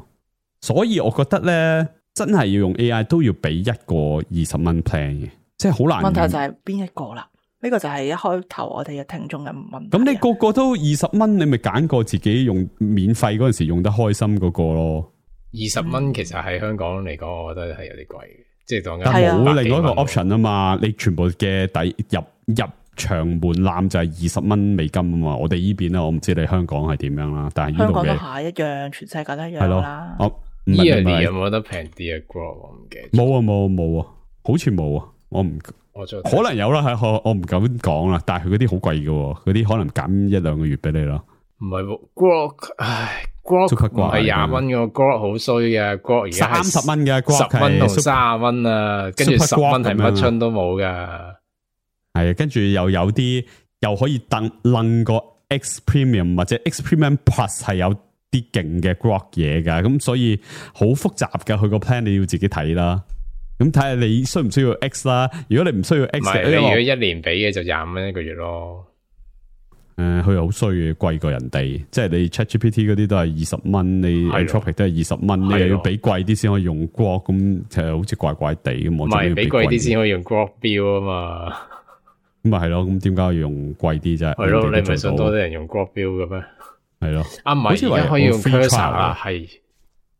所以我覺得咧，真係要用 AI 都要俾一個20蚊 plan 嘅，即係好難。問題就係邊一個啦？呢個就係一開頭我哋嘅聽眾嘅問題。咁你個個都20蚊，你咪揀個自己用免費嗰陣時用得開心嗰個咯。 20蚊其實喺香港嚟講，我覺得係有啲貴嘅，即係當緊但係啊冇另外一個 option 啊嘛，你全部嘅入場門檻就係20蚊美金啊嘛。我哋呢邊咧，我唔知你香港係點樣啦，但係呢香港都度嘅係一樣，全世界都一係咯樣啦。。哦，唔係 Yearly 有唔係冇得平啲啊 Grok 我唔記得。冇啊，好似冇啊，我唔。我再可能有啦，係我唔敢講啦，但係佢嗰啲好貴嘅，嗰啲可能減1-2個月俾你咯。唔係喎 Grok，唉 Grok 足球怪唔係20蚊嘅 Grok 好衰嘅 Grok 而家係30蚊嘅 Grok 10蚊同係30蚊啊，跟住 Super 10蚊係 Grok 咁樣乜春都冇噶。係啊，跟住又有啲又可以楞個 X Premium 或者 X Premium Plus 係有啲勁嘅 Grok 嘢噶，咁所以好複雜噶，佢個 plan 你要自己睇啦。咁睇下你需唔需要 X 啦？如果你唔需要 X 唔係你如果1年俾嘅就25蚊一個月咯。佢又好衰嘅，貴過人哋。即係你 ChatGPT 嗰啲都係20蚊，你 Anthropic 都係20蚊，你又要俾貴啲先可以用 Grok，咁其實好似怪怪地咁。唔係俾貴啲先可以用 Grok Build 啊嘛。咁咪係咯，咁點解要用貴啲啫？係咯，你唔係想想多啲人用 Grok Build 嘅咩？係咯，啊唔係，而家可以用 Cursor 啦，係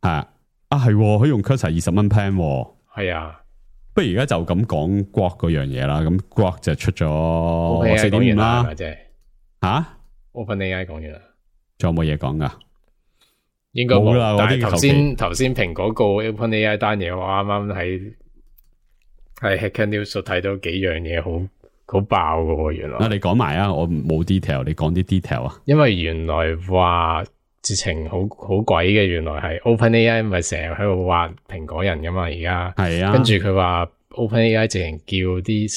係可以用 Cursor 20蚊 plan。係啊，不如而家就咁講 Grok 嗰樣嘢啦。咁 Grok 就出咗講完4.5啦。即係吓 OpenAI 講完啦，仲有冇嘢講噶？應該冇啦冇。但係嗰啲頭先蘋果告 OpenAI 單嘢，我啱啱喺 Hacker News 度睇到幾樣嘢好爆噶喎，原來。你講埋啊，我冇 detail，你講啲 detail 啊。因為原來話直情好鬼嘅，原來係 OpenAI 咪成日喺度話蘋果人噶嘛，而家係啊，跟住佢話 OpenAI 直情叫啲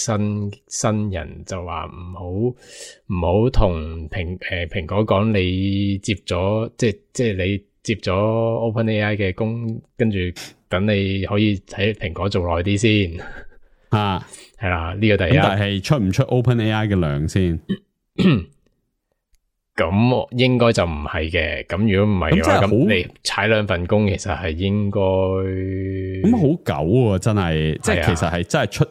新人就話唔好同蘋果講你接咗即係你接咗 OpenAI 嘅工，跟住等你可以喺蘋果做耐啲先啊，係啦，呢個第一。但係出唔出 OpenAI 嘅糧先？咁應該就唔係嘅。咁如果唔係嘅話，咁真係好咁你踩2份工，其實係應該咁好狗喎，真係，即係其實係真係出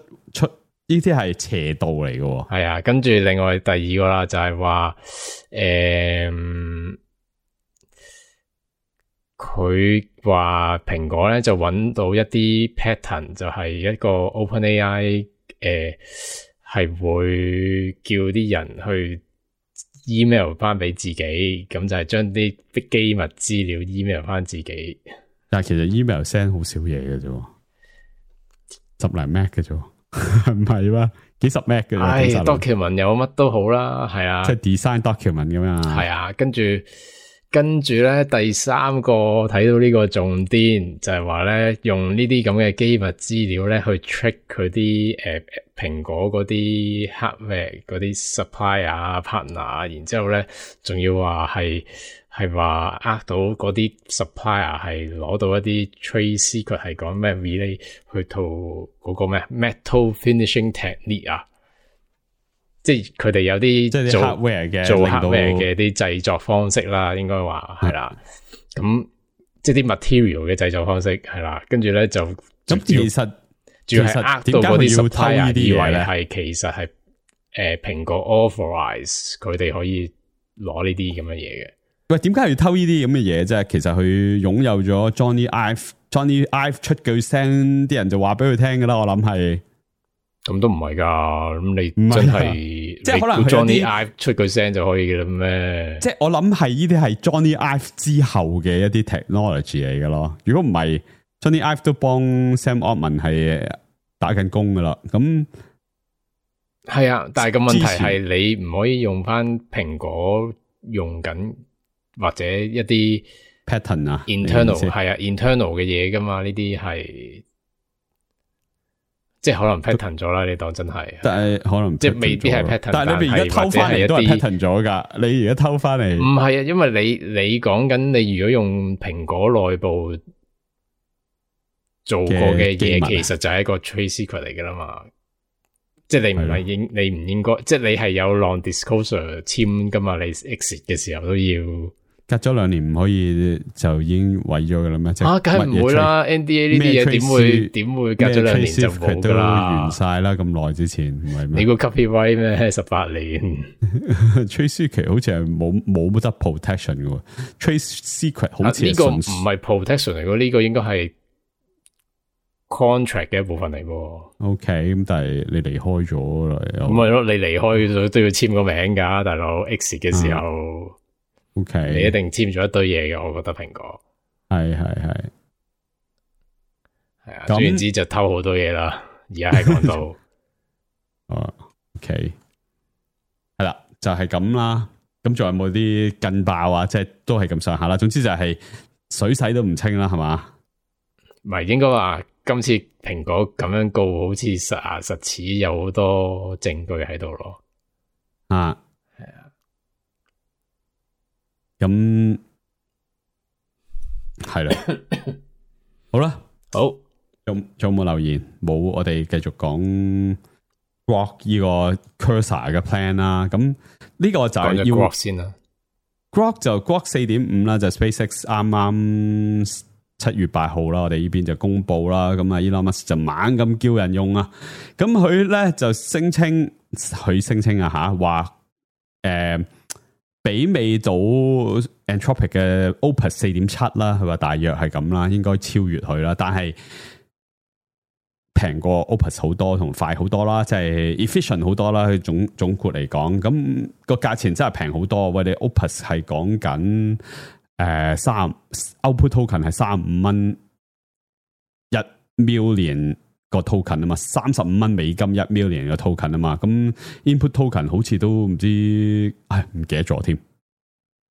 呢啲係邪道嚟嘅。係啊，跟住另外第二個啦，就係話佢話蘋果咧就揾到一啲 pattern，就係一個 OpenAI 係會叫啲人去 email 翻俾自己，咁就係將啲機密資料 email 翻自己。但係其實 email send 好少嘢嘅啫，10零 meg 嘅啫，唔係咩？幾十 meg 嘅啫。唉，document 有乜都好啦，係啊，即係 design document 咁樣。係啊，跟住咧，第三個睇到呢個重點就係話咧，用呢啲咁嘅機密資料咧去 trick 佢啲蘋果嗰啲 hardware 嗰啲 supplier 啊 partner，然之後咧仲要話係話到嗰啲 supplier 係攞到一啲 trade secret， 係講咩 relay 去到嗰個咩 metal finishing technique 啊。即係佢哋有啲即係啲 hardware 嘅做 hardware 嘅啲製作方式啦，應該話係啦。咁即係啲 material 嘅製作方式係啦，跟住咧就咁其實主要係到嗰啲 supplier 以為咧係其實係蘋果 authorize 佢哋可以攞呢啲咁嘅嘢嘅。喂，點解要偷呢啲咁嘅嘢啫？其實佢擁有咗 Johnny Ive 出句聲，啲人就話俾佢聽噶啦。我諗係咁都唔係㗎，咁你唔係真係即係可能佢有 Johnny 啲 Ive 出句聲就可以嘅啦咩？即係我諗係呢啲係 Johnny Ive 之後嘅一啲 technology 嚟嘅咯。如果唔係 Johnny Ive 都幫 Sam Altman 係打緊工噶啦，咁係啊，但係個問題之前係你唔可以用翻蘋果用緊或者一啲 pattern 啊 internal 你意思係啊 internal 嘅嘢噶嘛？呢啲係即係可能 pattern 咗啦，你當真係，但係可能即係未必係 pattern，但係你而家偷翻嚟都係 pattern 咗噶。你而家偷翻嚟唔係啊，因為你講緊你如果用蘋果內部做過嘅嘢，其實就係一個 trade secret 嚟噶啦嘛。即係你唔係你唔應該，即係你係有 non-disclosure 簽噶嘛？你 exit 嘅時候都要隔咗2年唔可以就已經毀咗噶啦咩？啊，梗係唔會啦 ！NDA 呢啲嘢點會隔咗2年就冇噶啦？完晒啦，咁耐之前唔係咩？你個 copyright 咩？18年？Trade secret 好似係冇得 protection 嘅喎 ，Trade secret 好似呢個唔係 protection 嚟嘅，呢個應該係 contract 嘅一部分嚟喎。OK， 咁但係你離開咗啦，咁咪咯，你離開咗都要簽個名噶，大佬 exit 嘅時候。OK， 你一定簽咗一堆嘢嘅，我覺得蘋果係啊，總言之就偷好多嘢啦。而家係講到OK 係啦，就係咁啦。咁仲有冇啲更爆啊？即係都係咁上下啦。總之就係水洗都唔清啦，係嘛？唔係應該話今次蘋果咁樣告，好似實牙實齒有好多證據喺度咯。啊，係啊。咁係啦，好啦，好，仲有冇留言？冇，我哋繼續講 Grok 呢個 Cursor 嘅 plan 啦。咁呢個就係要 Grok 先啦。Grok 就 Grok 4.5啦，就 SpaceX 啱啱7月8號啦，我哋呢邊就公布啦。咁啊，Elon Musk 就猛咁叫人用啊。咁佢咧就聲稱啊吓，話媲美到 Anthropic 嘅 Opus 4.7啦，佢話大約係咁啦，應該超越佢啦，但係平過 Opus 好多同快好多啦，即係 efficient 好多啦。佢總括嚟講，咁個價錢真係平好多。喂，你 Opus 係講緊output token 係35蚊1 million 個 token 啊嘛，35蚊美金1 million 個 token 啊嘛，咁 input token 好似都唔知，唔記得咗添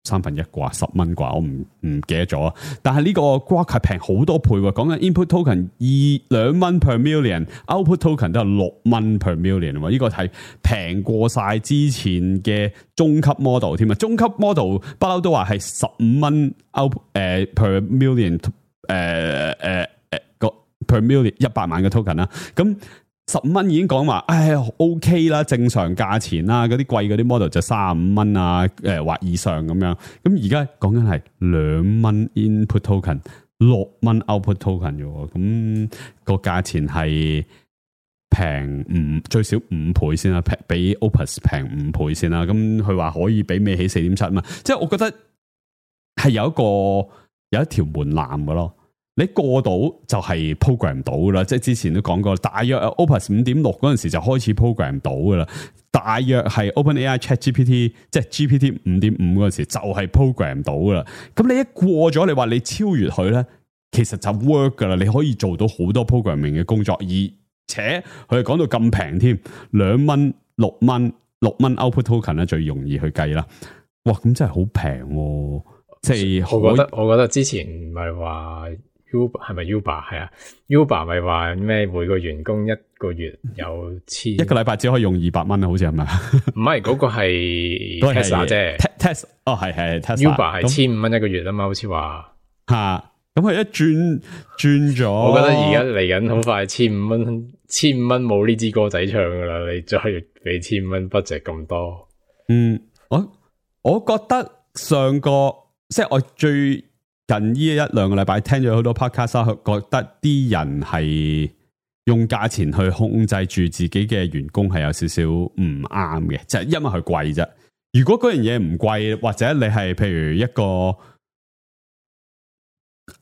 ，1/3啩，10蚊啩，我唔記得咗。但係呢個 Grok 係平好多倍喎，講緊 input token 2蚊 per million，output token 都係6蚊 per million 喎，呢個係平過晒之前嘅中級 model 添啊，中級 model 不嬲都話係15蚊 per million per million 100萬嘅 token 啦，咁15蚊已經講話，OK 啦，正常價錢啦，嗰啲貴嗰啲 model 就35蚊啊，或以上咁樣。咁而家講緊係2蚊 input token， 6蚊 output token 啫，咁個價錢係平最少5倍先啦，比 Opus 平5倍先啦。咁佢話可以媲美起 4.7 嘛，即係我覺得係有一條門檻嘅咯。你過到就係 program 到噶啦，即係之前都講過，大約 Opus 5.6嗰陣時就開始 program 到噶啦，大約係 OpenAI ChatGPT 即係 GPT 5.5嗰陣時就係 program 到噶啦。咁你一過咗，你話你超越佢咧，其實就 work 噶啦，你可以做到好多 programming 嘅工作，而且佢係講到咁平添，2蚊6蚊 output token 咧最容易去計啦。哇，咁真係好平喎！即係我覺得之前唔係話。Uber 係咪 Uber 係啊 ？Uber 咪話咩？每個員工一個月有1個禮拜只可以用200蚊啊？好似係咪？唔係嗰個係 Tesla 啫。Tesla 哦係 Uber 係15蚊一個月啊嘛，好似話吓。咁佢一轉咗，我覺得而家嚟緊好快15蚊冇呢支歌仔唱噶啦，你再俾15蚊 budget 咁多。我覺得上個即係我最。近呢1-2個禮拜聽咗好多 podcast， 覺得啲人係用價錢去控制住自己嘅員工係有少少唔啱嘅，就係因為佢貴啫。如果嗰樣嘢唔貴，或者你係譬如一個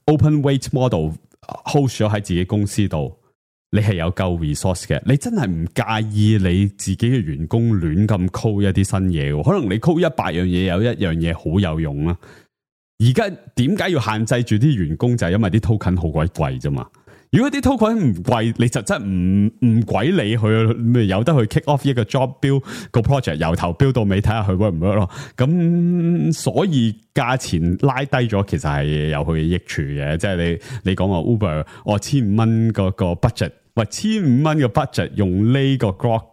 open weight model host 咗喺自己公司度，你係有夠 resource 嘅，你真係唔介意你自己嘅員工亂咁 code 一啲新嘢嘅，可能你 code 100樣嘢有一樣嘢好有用啦。而家點解要限制住啲員工就係因為啲 token 好鬼貴啫嘛。如果啲 token 唔貴，你就真唔鬼理佢，咪有得去 kick off 一個 job build 個 project 由頭 build 到尾睇下佢 work 唔 work 咯。咁所以價錢拉低咗，其實係有佢嘅益處嘅。即係你講話 Uber，我1500蚊個 budget， 喂1500蚊嘅 budget 用呢個 Grok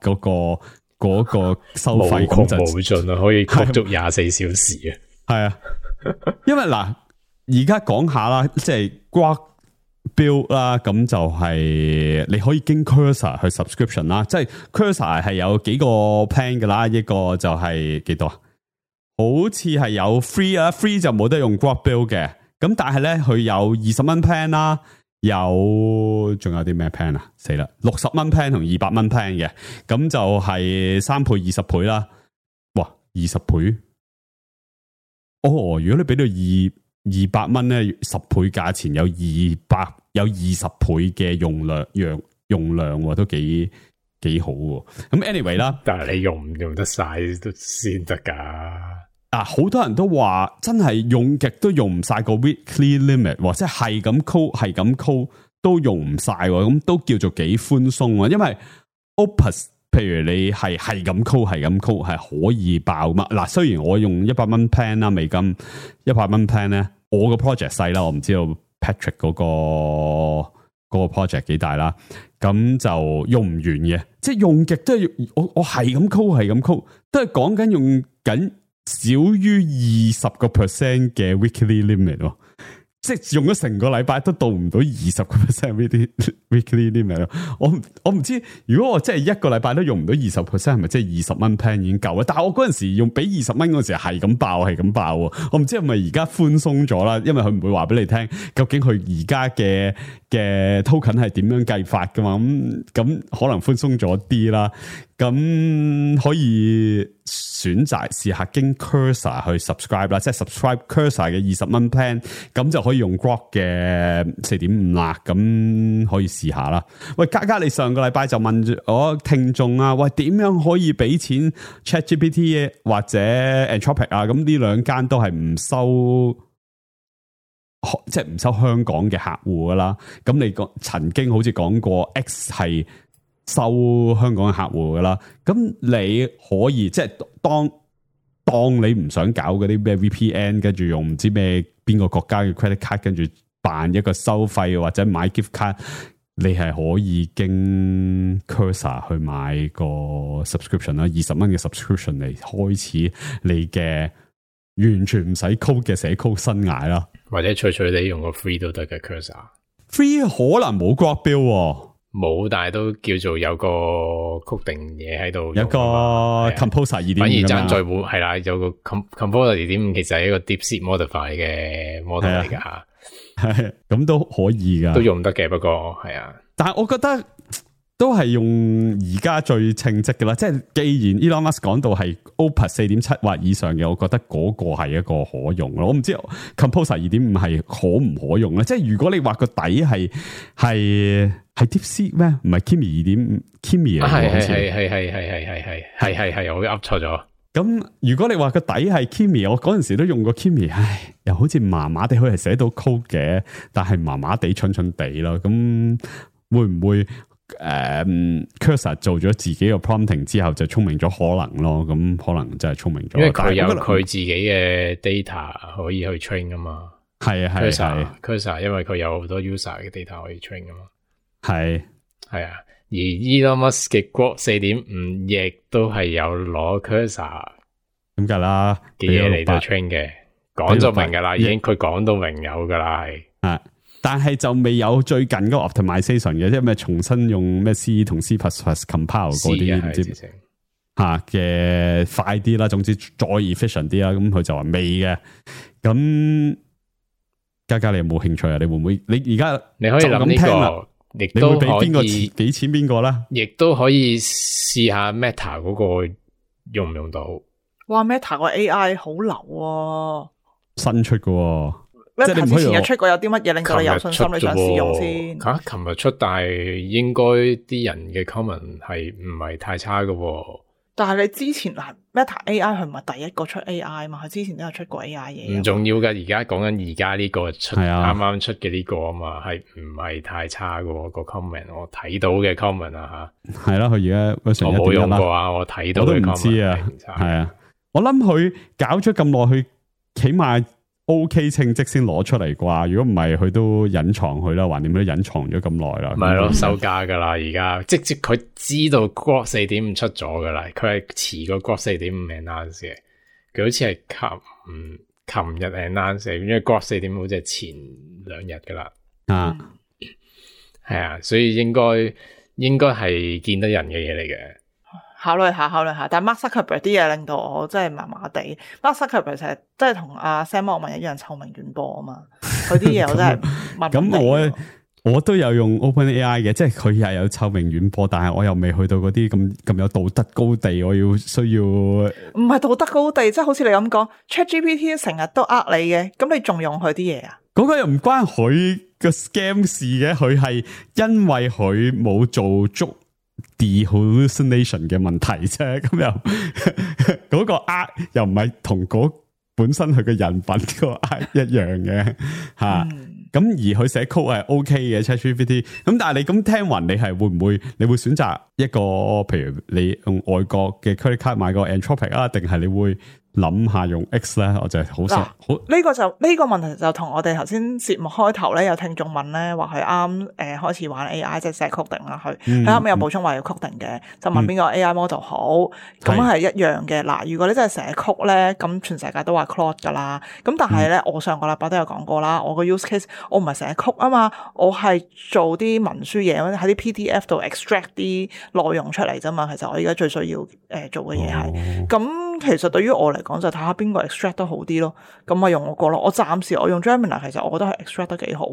嗰個收費咁就無盡啊，可以焗足24小時啊。係啊，因為嗱，而家講下啦，即係 Grok build 啦，咁就係你可以經 Cursor 去 subscription 啦，即係 Cursor 係有幾個 plan 噶啦，一個就係幾多啊？好似係有 free 啊 ，free 就冇得用 Grok build 嘅，咁但係咧佢有20蚊 plan 啦，仲有啲咩 plan 啊？死啦，60蚊 plan 同200蚊 plan 嘅，咁就係3倍、20倍啦。哇，20倍？哦，如果你俾到200蚊咧，10倍價錢有20倍嘅用量，都幾好喎。咁 anyway 啦，但係你用唔用得晒都先得噶。好多人都話真係用極都用唔晒個 weekly limit，或者係咁 call 都用唔晒，咁都叫做幾寬鬆啊。因為 Opus 譬如你係咁 call 係可以爆嘛。嗱，雖然我用100蚊 plan 啦，美金100蚊 plan 咧，我個 project 細啦，我唔知道 Patrick 嗰個 project 幾大啦，咁就用唔完嘅，即係用極都係我係咁 call，都係講緊用緊少於20% 嘅 weekly limit 喎。即係用咗成個禮拜都到唔到20% weekly limit 咯。我唔知如果我真係一個禮拜都用唔到20%，係咪即係20蚊 plan 已經夠啦？但係我嗰陣時用俾20蚊嗰陣時係咁爆。我唔知係咪而家寬鬆咗啦，因為佢唔會話俾你聽究竟佢而家嘅 token 係點樣計法噶嘛。咁可能寬鬆咗啲啦。咁可以選擇試下經 Cursor 去 subscribe 啦，即係 subscribe Cursor 嘅20蚊 plan， 咁就可以用 Grok 嘅 4.5 啦，咁可以試下啦。喂，嘉你上個禮拜就問我聽眾啊，喂，點樣可以俾錢 ChatGPT 或者 Anthropic 啊？咁呢兩間都係唔收，即係唔收香港嘅客戶噶啦。咁你曾經好似講過 X 係收香港嘅客戶噶啦，咁你可以即係當你唔想搞嗰啲咩 VPN， 跟住用唔知咩邊個國家嘅 credit card， 跟住辦一個收費或者買 gift card， 你係可以經 Cursor 去買個 subscription 啦，20蚊嘅 subscription 嚟開始你嘅完全唔使 code 嘅寫 code 生涯啦，或者隨隨地用個 free 都得嘅 Cursor。free 可能冇 Grok build 喎。冇，但係都叫做有個曲定嘢喺度，有個 Composer 2.5，反而爭在會係啦，有個 Composer 2.5其實係一個 DeepSeek Modify 嘅 model 嚟噶吓，係咁都可以噶，都用得嘅。不過係啊，但係我覺得都係用而家最稱職嘅啦。即係既然 Elon Musk 講到係 Opus 4.7 或以上嘅，我覺得嗰個係一個可用咯。我唔知 Composer 2.5係可唔可用咧？即係如果你話個底係 DeepSeek 咩？唔係 Kimi 2.5 Kimi 啊？係，我噏錯咗。咁如果你話個底係 Kimi， 我嗰陣時都用過 Kimi， 又好似麻麻地，佢係寫到 code 嘅，但係麻麻地蠢地咯。咁會唔會Cursor 做咗自己嘅 prompting 之後就聰明咗？可能咯，咁可能真係聰明咗。因為佢有佢自己嘅 data 可以去 train 噶嘛。係啊，Cursor 因為佢有好多 user 嘅 data 可以 train 噶嘛。係啊，而 Elon Musk 嘅 Grok 4.5亦都係有攞 Cursor 咁噶啦嘅嘢嚟到 train 嘅，講咗明噶啦，已經佢講到明有噶啦，係。但係就未有最近嗰個 optimization 嘅，即係咩重新用咩 C 同 C++ compile 嗰啲唔知嘅快啲啦，總之再 efficient 啲啦。咁佢就話未嘅。咁嘉你有冇興趣啊？你會唔會？你而家你可以諗呢個，亦都可以俾錢邊個啦？亦都可以試下 Meta 嗰個用唔用到？哇 ！Meta 個 AI 好流啊，新出嘅。即係你唔可以之前日出過有啲乜嘢令到你有信心你想試用先？吓，琴日出，但係應該啲人嘅 comment 係唔係太差嘅喎。但係你之前嗱 Meta AI 佢唔係第一個出 AI 嘛，佢之前都有出過 AI 嘢。唔重要噶，而家講緊而家呢個出係啊啱啱出嘅呢個啊嘛，係唔係太差嘅喎個 comment？我睇到嘅 comment 啊吓，係啦，佢而家我冇用過啦，啊，我睇到我都嘅唔知 comment 啊係唔差嘅。係啊，我諗佢搞咗咁耐，佢起碼 OK 稱職先攞出嚟啩。如果唔係，佢都隱藏佢啦，橫掂都隱藏咗咁耐啦。咪係咯，收價噶啦，而家即佢知道 Grok 4.5出咗噶啦，佢係遲過 Grok 4.5 announce 嘅，佢好似係琴日 announce，因為 Grok 4.5好似係前2日噶啦，啊，係啊，所以應該係見得人嘅嘢嚟嘅。考慮下，但係 Mark Zuckerberg 啲嘢令到我真係麻麻地。Mark Zuckerberg 成日真係同阿 Sam Altman 一樣臭名遠播啊嘛，佢啲嘢我真係咁我都有用 OpenAI 嘅，即係佢又有臭名遠播，但係我又未去到嗰啲咁有道德高地，我需要唔係道德高地，即係好似你咁講 ChatGPT 成日都呃你嘅，咁你仲用佢啲嘢啊？嗰個又唔關佢個 scam 事嘅，佢係因為佢冇做足 de-hallucination 嘅問題啫，咁又嗰個又唔係同嗰本身佢嘅人品個一樣嘅吓。咁而佢寫 code 係 OK 嘅 ChatGPT， 咁但係你咁聽聞，你係會唔會你會選擇一個譬如你用外國嘅 credit card 買個 Anthropic 啊，定係你會諗下用 X 咧？我就係好呢個問題就同我哋頭先節目開頭咧有聽眾問咧，話佢啱開始玩 AI 即係寫 coding 啦，佢後尾有補充話要 coding 嘅，就問邊個 AI model 好，咁係一樣嘅。嗱，如果你真係寫 code 咧，咁全世界都話 Claude 噶啦，咁但係咧，我上個禮拜都有講過啦，我個 use case 我唔係寫 code 啊嘛，我係做啲文書嘢，喺啲 PDF 度 extract 啲內容出嚟啫嘛。其實我而家最需要做嘅嘢係咁。其實對於我嚟講就睇下邊個 extract 得好啲咯，咁咪用我個咯。我暫時我用 Gemini， 其實我覺得係 extract 得幾好，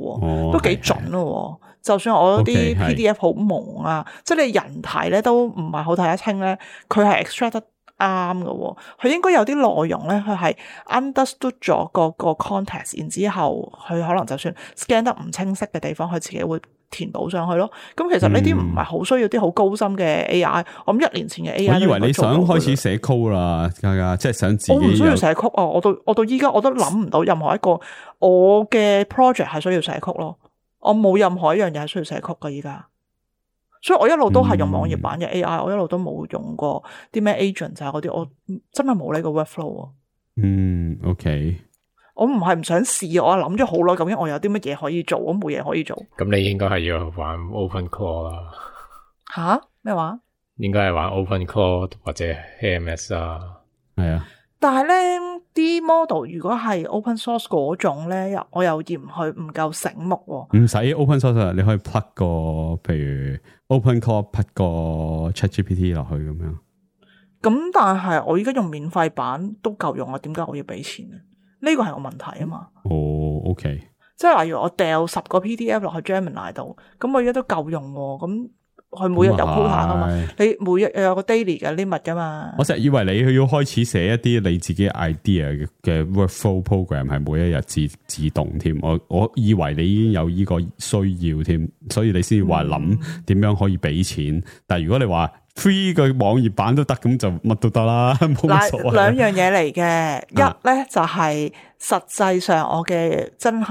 都幾準咯。就算我啲 PDF 好蒙啊，即係你人睇咧都唔係好睇得清咧，佢係 extract 得啱嘅。佢應該有啲內容咧，佢係 understood 咗個 context， 然之後佢可能就算 scan 得唔清晰嘅地方，佢自己會填補上去咯。咁其實呢啲唔係好需要啲好高深嘅 AI。我諗1年前嘅 AI， 我以為你想開始寫 code 啦，家家即係想自己。我唔需要寫 code 啊！我到依家我都諗唔到任何一個我嘅 project 係需要寫 code 咯。我冇任何一樣嘢係需要寫 code 噶依家。所以我一路都係用網頁版嘅 AI，我一路都冇用過啲咩 agent 啊嗰啲，我真係冇呢個 workflow 啊。OK。我唔係唔想試，我諗咗好耐，究竟我有啲乜嘢可以做，我冇嘢可以做。咁你應該係要玩 OpenClaw 啦。吓？咩話？應該係玩 OpenClaw 或者 AMS 啊。係啊。但係咧啲 model 如果係 open source 嗰種咧，我又嫌佢唔夠醒目。唔使 open source， 你可以 plug 個譬如 OpenClaw plug 個 ChatGPT 落去咁樣。咁但係我而家用免費版都夠用啊，點解我要俾錢呢？呢個係個問題啊嘛。OK。即係例如我掉10個 PDF 落去 Gemini 度，咁我而家都夠用喎。咁佢每日有 quota 噶嘛？你每日有個 daily 嘅 limit 噶嘛？我成日以為你要開始寫一啲你自己 idea 嘅 workflow program 係每一日自動添。我以為你已經有呢個需要添，所以你先話諗點樣可以俾錢。但係如果你話 free 個網頁版都得，咁就乜都得啦，冇乜所謂。兩樣嘢嚟嘅，一咧就係實際上我嘅真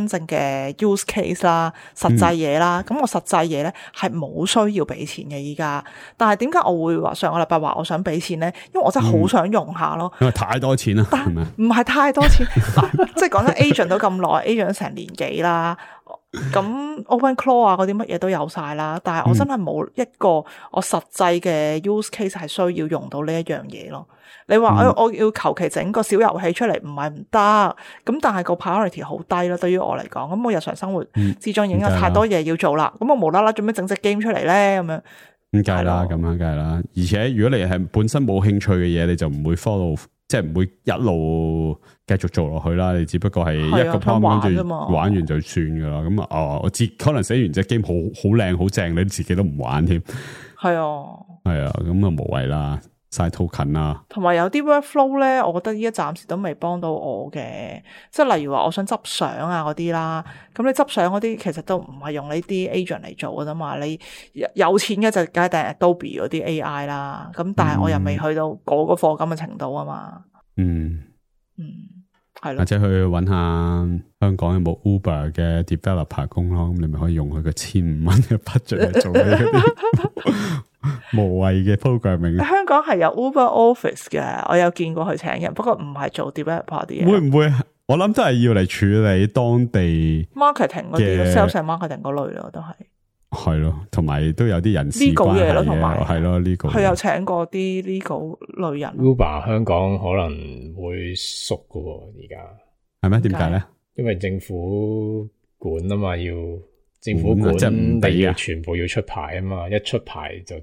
正嘅 use case 啦，實際嘢啦。咁我實際嘢咧係冇需要俾錢嘅依家。但係點解我會話上個禮拜話我想俾錢咧？因為我真係好想用下咯。因為太多錢啦，係咪？唔係太多錢嗱，即係講真 agent 都咁耐，agent 成年幾啦。咁 OpenClaw 啊嗰啲乜嘢都有晒啦，但係我真係冇一個我實際嘅 use case 係需要用到呢一樣嘢咯。你話我要求其整個小遊戲出嚟唔係唔得，咁但係個 priority 好低咯。對於我嚟講，咁我日常生活之中已經有太多嘢要做啦，咁我無啦啦做咩整隻 game 出嚟咧？咁樣咁梗係啦，咁樣梗係啦。而且如果你係本身冇興趣嘅嘢，你就唔會 follow。即係唔會一路繼續做落去啦，你只不過係一個 prompt 跟住玩完就算噶啦。咁我可能寫完隻 game 好靚好正，你自己都唔玩添。係啊，咁啊無謂啦。晒 token 啊。同埋有啲 workflow 咧，我覺得依家暫時都未幫到我嘅，即係例如話我想執相啊嗰啲啦，咁你執相嗰啲其實都唔係用呢啲 agent 嚟做嘅啫嘛，你有錢嘅就梗係訂 Adobe 嗰啲 AI 啦，咁但係我又未去到嗰個課金嘅程度啊嘛。係咯，或者去揾下香港有冇 Uber 嘅 developer 工咯，咁你咪可以用佢個1,500蚊嘅 budget 嚟做呢啲無謂嘅 programming。香港係有 Uber Office 嘅，我有見過佢請人，不過唔係做 developer 啲嘢。會唔會？我諗都係要嚟處理當地 marketing 嗰啲 sales and marketing 嗰類咯，都係。係咯，同埋都有啲人事關係嘅，係咯呢個。佢有請過啲 legal 類人。Uber 香港可能會縮㗎喎，而家係咩？點解咧？因為政府管啊嘛，要政府管，即係唔俾要全部要出牌啊嘛，一出牌就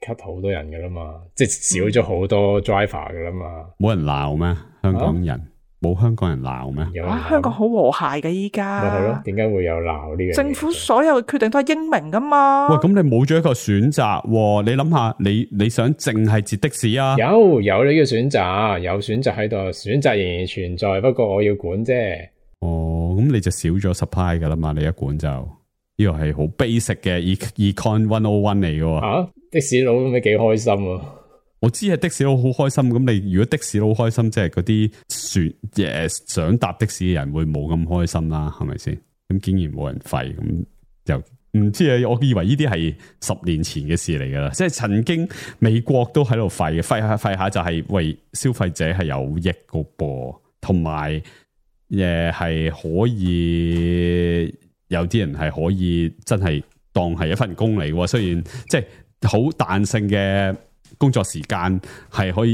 cut 好多人噶啦嘛，即係少咗好多 driver 噶啦嘛。冇人鬧咩？香港人冇香港人鬧咩？香港好和諧嘅依家。咪係咯？點解會有鬧呢樣嘢？政府所有嘅決定都係英明噶嘛。喂，咁你冇咗一個選擇，你諗下，你想淨係截的士啊？有呢個選擇，有選擇喺度，選擇仍然存在，不過我要管啫。哦，咁你就少咗 supply 噶啦嘛，你一管就呢個係好 basic 嘅 econ 101嚟嘅。吓，的士佬咁咪幾開心啊！我知係的士佬好開心，咁你如果的士佬開心，即係嗰啲想搭的士嘅人會冇咁開心啦，係咪先？咁竟然冇人廢，咁又唔知啊！我以為呢啲係10年前嘅事嚟噶啦，即係曾經美國都喺度廢下就係為消費者係有益個噃，同埋係可以有啲人係可以真係當係一份工嚟嘅，雖然即係好彈性嘅工作時間係可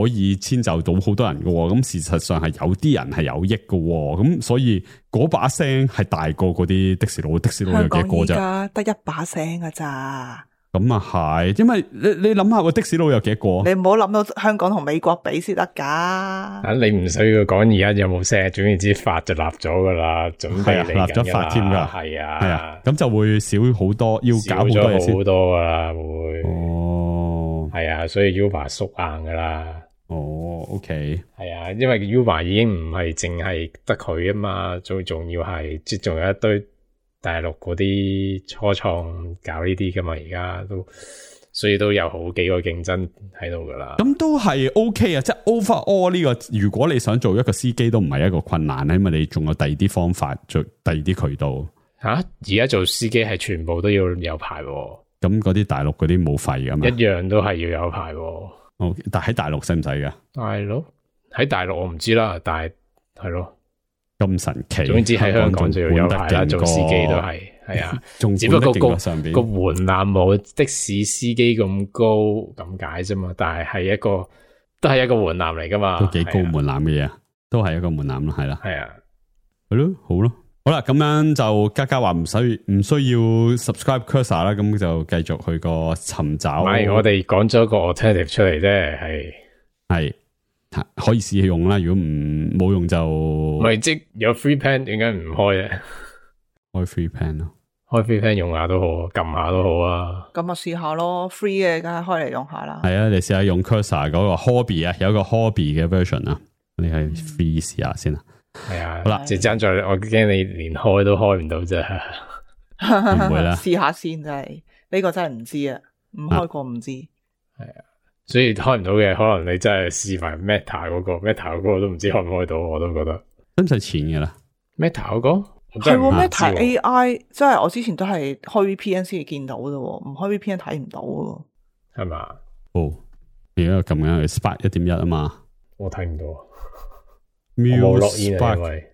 以遷就到好多人嘅，咁事實上係有啲人係有益嘅，咁所以嗰把聲係大過嗰啲的士佬，的士佬有幾個啫？香港而家得一把聲㗎咋？咁啊係，因為你諗下個的士佬有幾個？你唔好諗到香港同美國比先得噶。你唔需要講而家有冇聲，總言之法就立咗噶啦，準備嚟立咗法添噶，係啊，咁就會少好多，要搞好多嘢先。好多噶啦，會哦，係啊，所以 Uber 縮硬噶啦。哦 ，OK， 係啊，因為 Uber 已經唔係淨係得佢啊嘛，最重要係即仲有一堆大陸嗰啲初創搞呢啲噶嘛，而家都所以都有好幾個競爭喺度噶啦。咁都係 OK 啊，即係 overall 呢個，如果你想做一個司機都唔係一個困難，因為你仲有第二啲方法，做第二啲渠道。而家做司機係全部都要有牌喎。咁嗰啲大陸嗰啲冇廢噶嘛？一樣都係要有牌喎。但喺大陸使唔使噶？喺大陸我唔知啦，但係係咯。咁神奇，總之喺香港就要有牌啦，做司機都係啊，只不過個門檻冇的士司機咁高咁解啫嘛，但係都係一個門檻嚟噶嘛，都幾高門檻嘅嘢，都係一個門檻啦，係啦，係啊，係咯，好咯，好啦，咁樣就嘉嘉話唔需要 subscribe Cursor 啦，咁就繼續去個尋找。唔係，我哋講咗個 alternative 出嚟啫，係。可以試用啦，如果冇用就唔係，即有 free plan 點解唔開咧？開 free plan 咯，開 free plan 用下都好，撳下都好啊。咁啊試下咯 ，free 嘅梗係開嚟用下啦。係啊，你試下用 Cursor 嗰個 hobby 啊，有個 hobby 嘅 version 啊，你係 free 試下先啦。係啊，好啦，就爭在我驚你連開都開唔到啫，唔會啦。試下先真係，呢個真係唔知啊，唔開過唔知。係啊。所以開唔到嘅，可能你真係試埋 Meta 嗰個 ，Meta 嗰個都唔知開唔開到，我都覺得。使唔使錢嘅啦 ？Meta 嗰個係 Meta AI，即係我之前都係開 VPN 先見到啫，唔開 VPN 睇唔到嘅。係嘛？哦，而家咁樣 Spark 1.1啊嘛，我睇唔到。我冇落煙啊，因為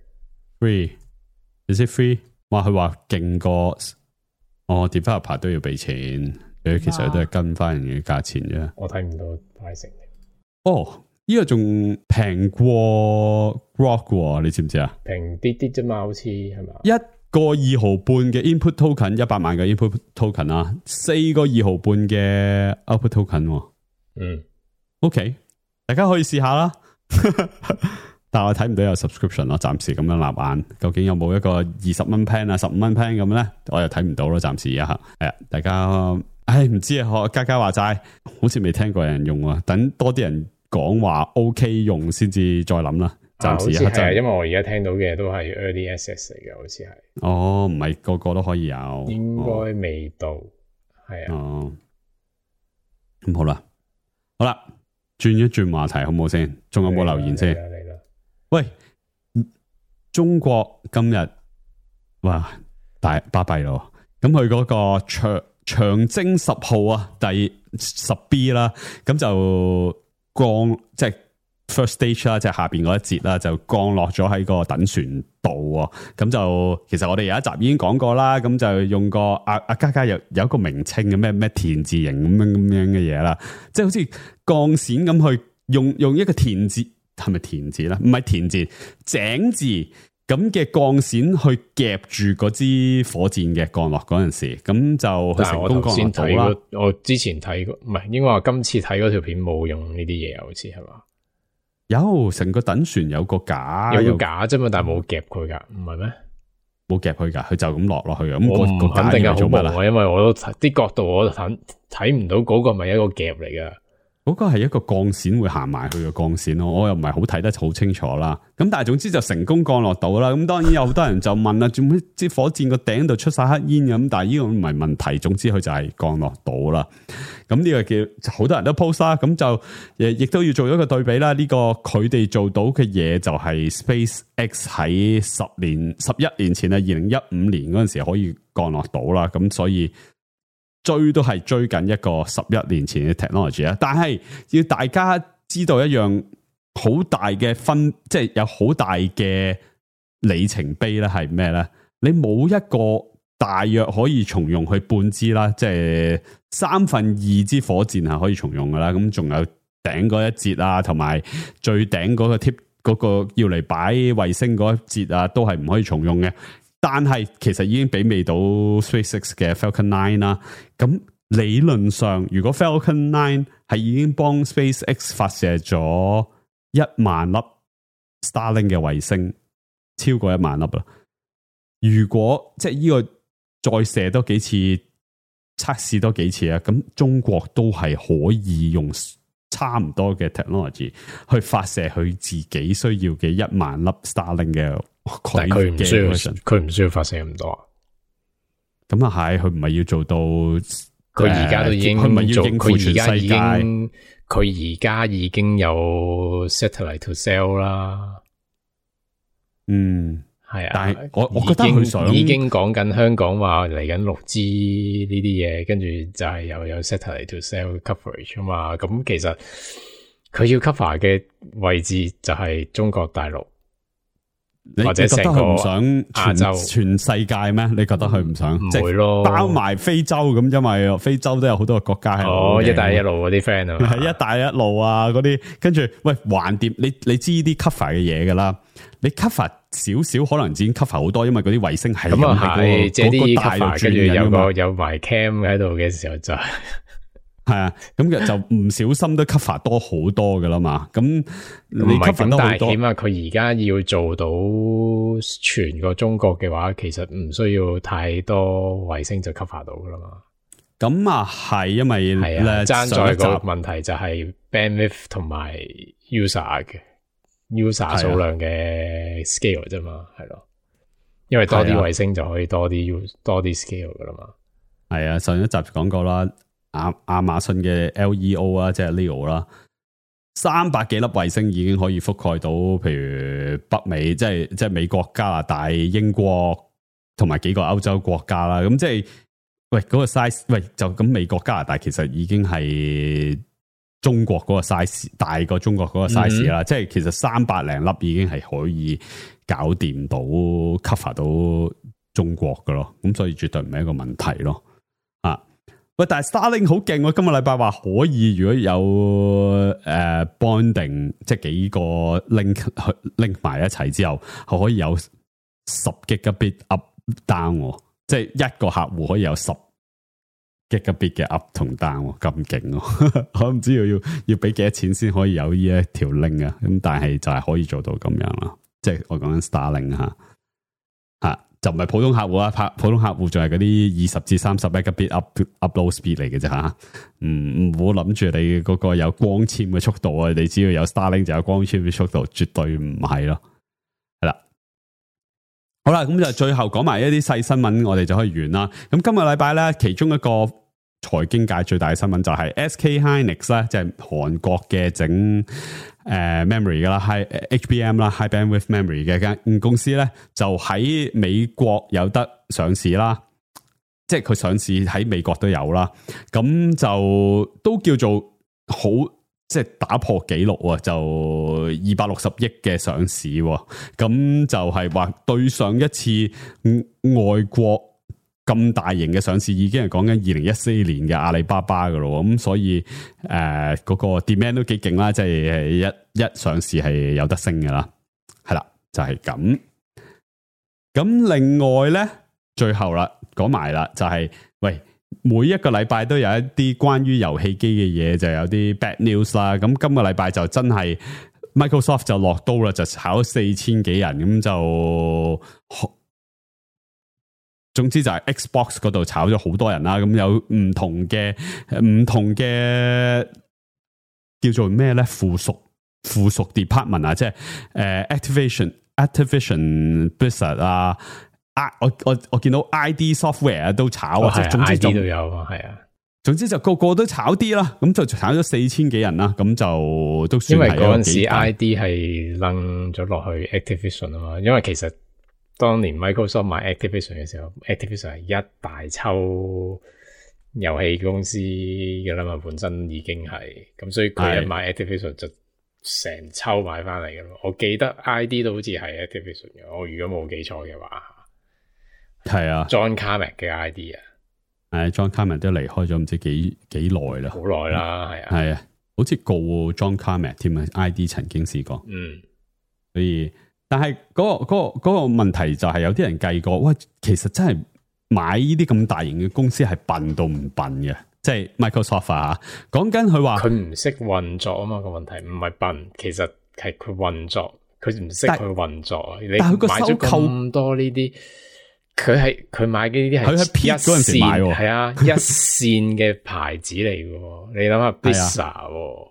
free，is it free？哇，佢話勁過developer 都要俾錢。佢其實都係跟翻人嘅價錢啫，我睇唔到派成。呢個仲平過 Grok 喎，你知唔知啊？平啲啲啫嘛，好似係咪？一個2毫半嘅 input token， 100萬嘅 input token 啊，4個2毫半嘅 output token。OK， 大家可以試下啦。但係我睇唔到有 subscription 咯，暫時咁樣立眼，究竟有冇一個20蚊 plan 啊、15蚊 plan 咁咧？我又睇唔到咯，暫時一下。係啊，大家。唉，唔知啊，學家家話齋，好似未聽過有人用啊，等多啲人講話 OK 用先至再諗啦。暫時一刻係，因為我而家聽到嘅都係 early access 嚟嘅，好似係。哦，唔係個個都可以有，應該未到，係啊。哦，咁好啦，好啦，轉一轉話題好唔好先？仲有冇留言先？嚟啦！喂，中國今日哇大巴閉咯，咁佢嗰個長征10號啊，第10B 啦，咁就降即係 first stage 啦，即係下邊嗰一節啦，就降落咗喺個等船度啊。咁就其實我哋有一集已經講過啦，咁就用個阿嘉嘉有一個名稱嘅咩田字形咁樣嘅嘢啦，即係好似鋼線咁去用一個田字，係咪田字咧？唔係田字，井字咁嘅鋼線去夾住嗰支火箭嘅降落嗰陣時，咁就成功降落到啦。我之前睇過，唔係應該話今次睇嗰條片冇用呢啲嘢，好似係嘛？有成個等船有個架，有個架啫嘛，但係冇夾佢噶，唔係咩？冇夾佢噶，佢就咁落去嘅。咁我唔肯定係好乜無，因為我都啲角度我睇唔到嗰個咪一個夾嚟噶。嗰個係一個鋼線會行埋去嘅鋼線咯，我又唔係好睇得好清楚啦。咁但係總之就成功降落到啦。咁當然有好多人就問啦，做咩支火箭個頂度出晒黑煙咁？但係呢個唔係問題，總之佢就係降落到啦。咁呢個叫好多人都 post 啦。咁就亦都要做一個對比啦。呢個佢哋做到嘅嘢就係 SpaceX 喺11年前啊，2015年嗰陣時可以降落到啦。咁所以追都係追緊一個11年前嘅 technology 啊，但係要大家知道一樣好大嘅即係有好大嘅里程碑咧，係咩咧？你冇一個大約可以重用去半支啦，即係2/3支火箭係可以重用噶啦。咁仲有頂嗰一節啊，同埋最頂嗰個 tip 嗰個要嚟擺衛星嗰一節啊，都係唔可以重用嘅。但係其實已經媲美到 SpaceX 嘅 Falcon 9啦。咁理論上，如果 Falcon 9係已經幫 SpaceX 發射咗1萬粒 Starlink 嘅衛星，超過1萬粒啦。如果即係呢個再射多幾次，測試多幾次啊，咁中國都係可以用差唔多嘅 technology 去發射佢自己需要嘅1萬粒 Starlink 嘅。但係佢唔需要發射咁多，咁啊係，佢唔係要做到，佢而家都已經，佢唔係要應付全世界，佢而家已經有 satellite to sell 啦。嗯，係啊，但係我覺得佢已經講緊香港話嚟緊6G 呢啲嘢，跟住就係又有 satellite to sell coverage 啊嘛。咁其實佢要 cover 嘅位置就係中國大陸。或者成個亞洲全世界咩？你覺得佢唔想？唔會咯，包埋非洲咁，因為非洲都有好多個國家係一帶一路嗰啲 friend 啊，係一帶一路啊嗰啲，跟住喂橫掂，你知呢啲 cover 嘅嘢噶啦，你 cover 少少可能已經 cover 好多，因為嗰啲衛星係咁啊係，即係啲 cover 跟住有埋 cam 喺度嘅時候就係啊，咁就唔小心都 cover 多好多噶啦嘛，咁你 cover 多好多，起碼佢而家要做到全個中國嘅話，其實唔需要太多衛星就 cover 到噶啦嘛。咁啊係，因為係啊，爭在個問題就係 bandwidth 同埋 user 數量嘅 scale 啫嘛，係咯。因為多啲衛星就可以多啲 scale 噶啦嘛。係啊，上一集講過啦。亞馬遜嘅 LEO 啊，即係 LEO 啦，300幾粒衛星已經可以覆蓋到，譬如北美，即係美國、加拿大、英國同埋幾個歐洲國家啦。咁即係喂嗰個 size， 喂就咁美國、加拿大其實已經係中國嗰個 size 大過中國嗰個 size 啦。即係其實300零粒已經係可以搞掂到 cover 到中國噶咯。咁所以絕對唔係一個問題咯。喂，但係 Starlink 好勁喎！今個禮拜話可以，如果有bonding， 即係幾個 link 埋一齊之後，係可以有10 Gigabit up down， 即係一個客戶可以有10 Gigabit 嘅 up 同 down， 咁勁！我唔知要俾幾多錢先可以有呢一條 link 啊！咁但係就係可以做到咁樣啦，即係我講緊 Starlink 吓。就唔係普通客戶啦，普通客戶仲係嗰啲20至30 megabit upload speed 嚟嘅啫吓，唔好諗住你嗰個有光纖嘅速度啊，你只要有 Starlink 就有光纖嘅速度，絕對唔係咯，係啦。好啦，咁就最後講埋一啲細新聞，我哋就可以完啦。咁今個禮拜咧，其中一個財經界最大嘅新聞就係 SK Hynix 咧，即係韓國嘅整memory 噶啦 HBM 啦 High Bandwidth Memory 嘅間公司咧，就喺美國有得上市啦，即係佢上市喺美國都有啦，咁就都叫做好，即係打破紀錄啊，就260億嘅上市，咁就係話對上一次外國咁大型嘅上市已經係講緊2014年嘅阿里巴巴噶咯，咁所以嗰個 demand 都幾勁啦，即係一上市係有得升噶啦，係啦，就係咁。咁另外咧，最後啦，講埋啦，就係喂，每一個禮拜都有一啲關於遊戲機嘅嘢，就有啲 bad news 啦。咁今個禮拜就真係 Microsoft 就落刀啦，就炒4000幾人，咁就總之就係 Xbox 嗰度炒咗好多人啦。咁有唔同嘅叫做咩咧？附屬 department 啊，即係Activision Blizzard 啊。我見到 ID Software 都炒啊，總之 ID 都有啊，係啊，總之就個個都炒啲啦，咁就炒咗4000幾人啦，咁就都算係。因為嗰陣時 ID 係掕咗落去 Activision 啊嘛，因為其實當年 Microsoft 買 Activision 嘅時候 ，Activision 係一大抽遊戲公司嘅啦嘛，本身已經係咁，所以佢一買 Activision 就成抽買翻嚟嘅咯。我記得 ID 都好似係 Activision 嘅，我如果冇記錯嘅話。係啊 ，John Carmack 嘅 ID 啊，John Carmack 都離開咗唔知幾耐啦，好耐啦，係啊，係啊，好似告 John Carmack 添啊 ，ID 曾經試過，所以但係嗰個問題就係有啲人計過，喂，其實真係買呢啲咁大型嘅公司係笨到唔笨嘅，即係 Microsoft 啊，講緊佢話佢唔識運作啊嘛，個問題唔係笨，其實係佢運作，佢唔識去運作，你買咗咁多呢啲。佢買嘅呢啲係佢喺 P 嗰陣時買，係啊，一線嘅牌子嚟嘅，你諗下 Blizzard，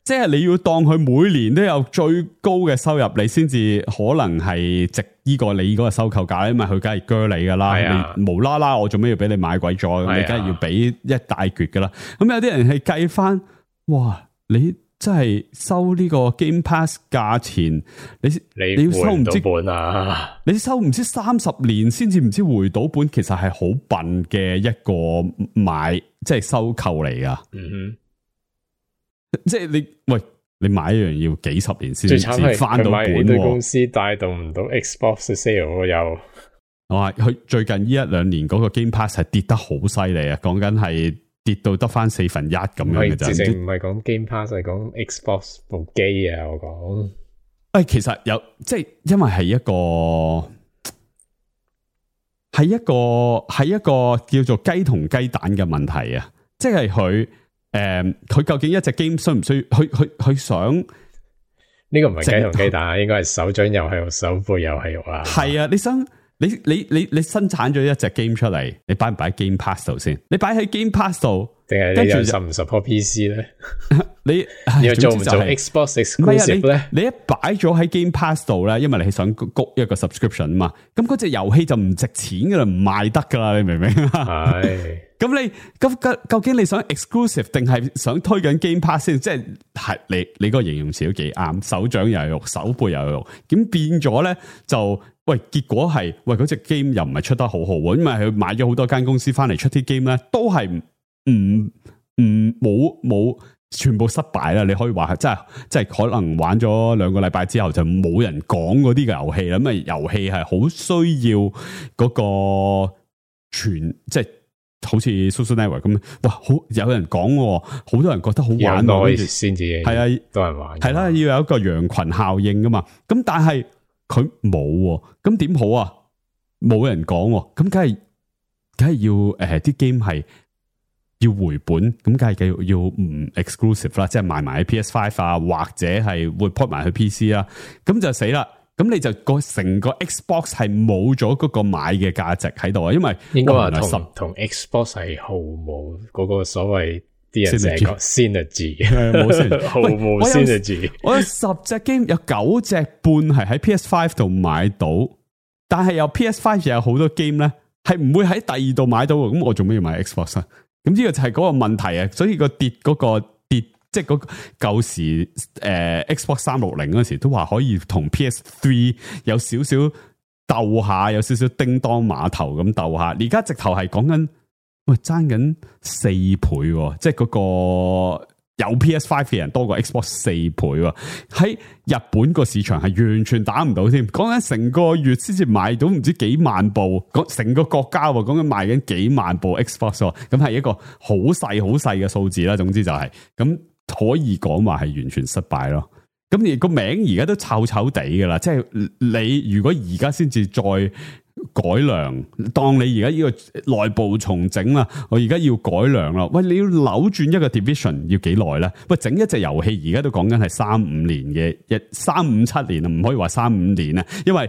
即係你要當佢每年都有最高嘅收入，你先至可能係值呢個你嗰個收購價，因為佢梗係鋸你噶啦，你無啦啦我做咩要俾你買鬼咗？你梗係要俾一大橛噶啦。咁有啲人係計翻，哇，你真係收呢個 Game Pass 價錢，你要收唔知本啊？你收唔知30年先至唔知回到本，其實係好笨嘅一個即係收購嚟噶。即係你買一樣要幾十年先至翻到本。對公司帶動唔到 Xbox sale 又。我話佢最近呢1-2年嗰個 Game Pass 係跌得好犀利啊！講緊係。跌到得翻1/4咁樣嘅啫，直情唔係講 Game Pass，係講 Xbox 部機啊！我講，其實有即係因為係一個叫做雞同雞蛋嘅問題啊！即係佢究竟一隻 game 需唔需要？佢想呢個唔係雞同雞蛋，應該係手掌又係肉，手背又係肉啊！係啊，你想？你生產咗一隻 game 出嚟，你擺唔擺 Game Pass 度先？你擺喺 Game Pass 度，定係你又support PC 咧？你又做唔做 Xbox exclusive 咧？你一擺咗喺 Game Pass 度咧，因為你係想谷一個 subscription 啊嘛，咁嗰隻遊戲就唔值錢噶啦，唔賣得噶啦，你明唔明啊？係。咁究竟你想 exclusive 定係想推緊 Game Pass 先？即係你嗰個形容詞都幾啱，手掌又有肉，手背又有肉，咁變咗咧就。結果係嗰隻 game 又唔係出得好好，因為佢買咗好多間公司翻嚟出啲 game 咧，都係冇全部失敗啦。你可以話係即係可能玩咗2個禮拜之後就冇人講嗰啲嘅遊戲啦。咁啊遊戲係好需要嗰個即係好似 Social Network 咁，哇！好有人講，好多人覺得好玩先至係啊，多人玩係啦，要有一個羊群效應噶嘛。咁但係。佢冇，咁點好啊？冇人講，咁梗係要啲 game 係要回本，咁梗係繼續要唔 exclusive 啦，即係賣埋喺 PS5 啊，或者係會 port 埋去 PC 啦，咁就死啦。咁你就成個 Xbox 係冇咗嗰個買嘅價值喺度啊，因為應該話同 Xbox 係毫無嗰個所謂啲人成日講 synergy， 冇 synergy， 毫無 synergy。我有10隻 game 有9隻半係喺 PS5 度買到，但係有 PS5 又有好多 game 咧係唔會喺第二度買到，咁我做咩要買 Xbox 啊？咁呢個就係嗰個問題啊，所以個跌即係嗰舊時Xbox 360嗰時都話可以同 PS3 有少少鬥下，有少少叮當碼頭咁鬥下。而家直頭係講緊，喂爭緊4倍，即係嗰個有 PS5 嘅人多過 Xbox 4倍。喺日本個市場係完全打唔到添，講緊成個月先至買到唔知幾萬部，成個國家講緊賣緊幾萬部 Xbox， 咁係一個好細嘅數字啦。總之就係咁。可以講話係完全失敗咯，咁而個名而家都臭臭地噶啦，即係你如果而家先至再改良，當你而家呢個內部重整啦，我而家要改良啦，喂，你要扭轉一個 division 要幾耐咧？喂，整一隻遊戲而家都講緊係3-5年嘅3-5-7年啊，唔可以話3-5年啊，因為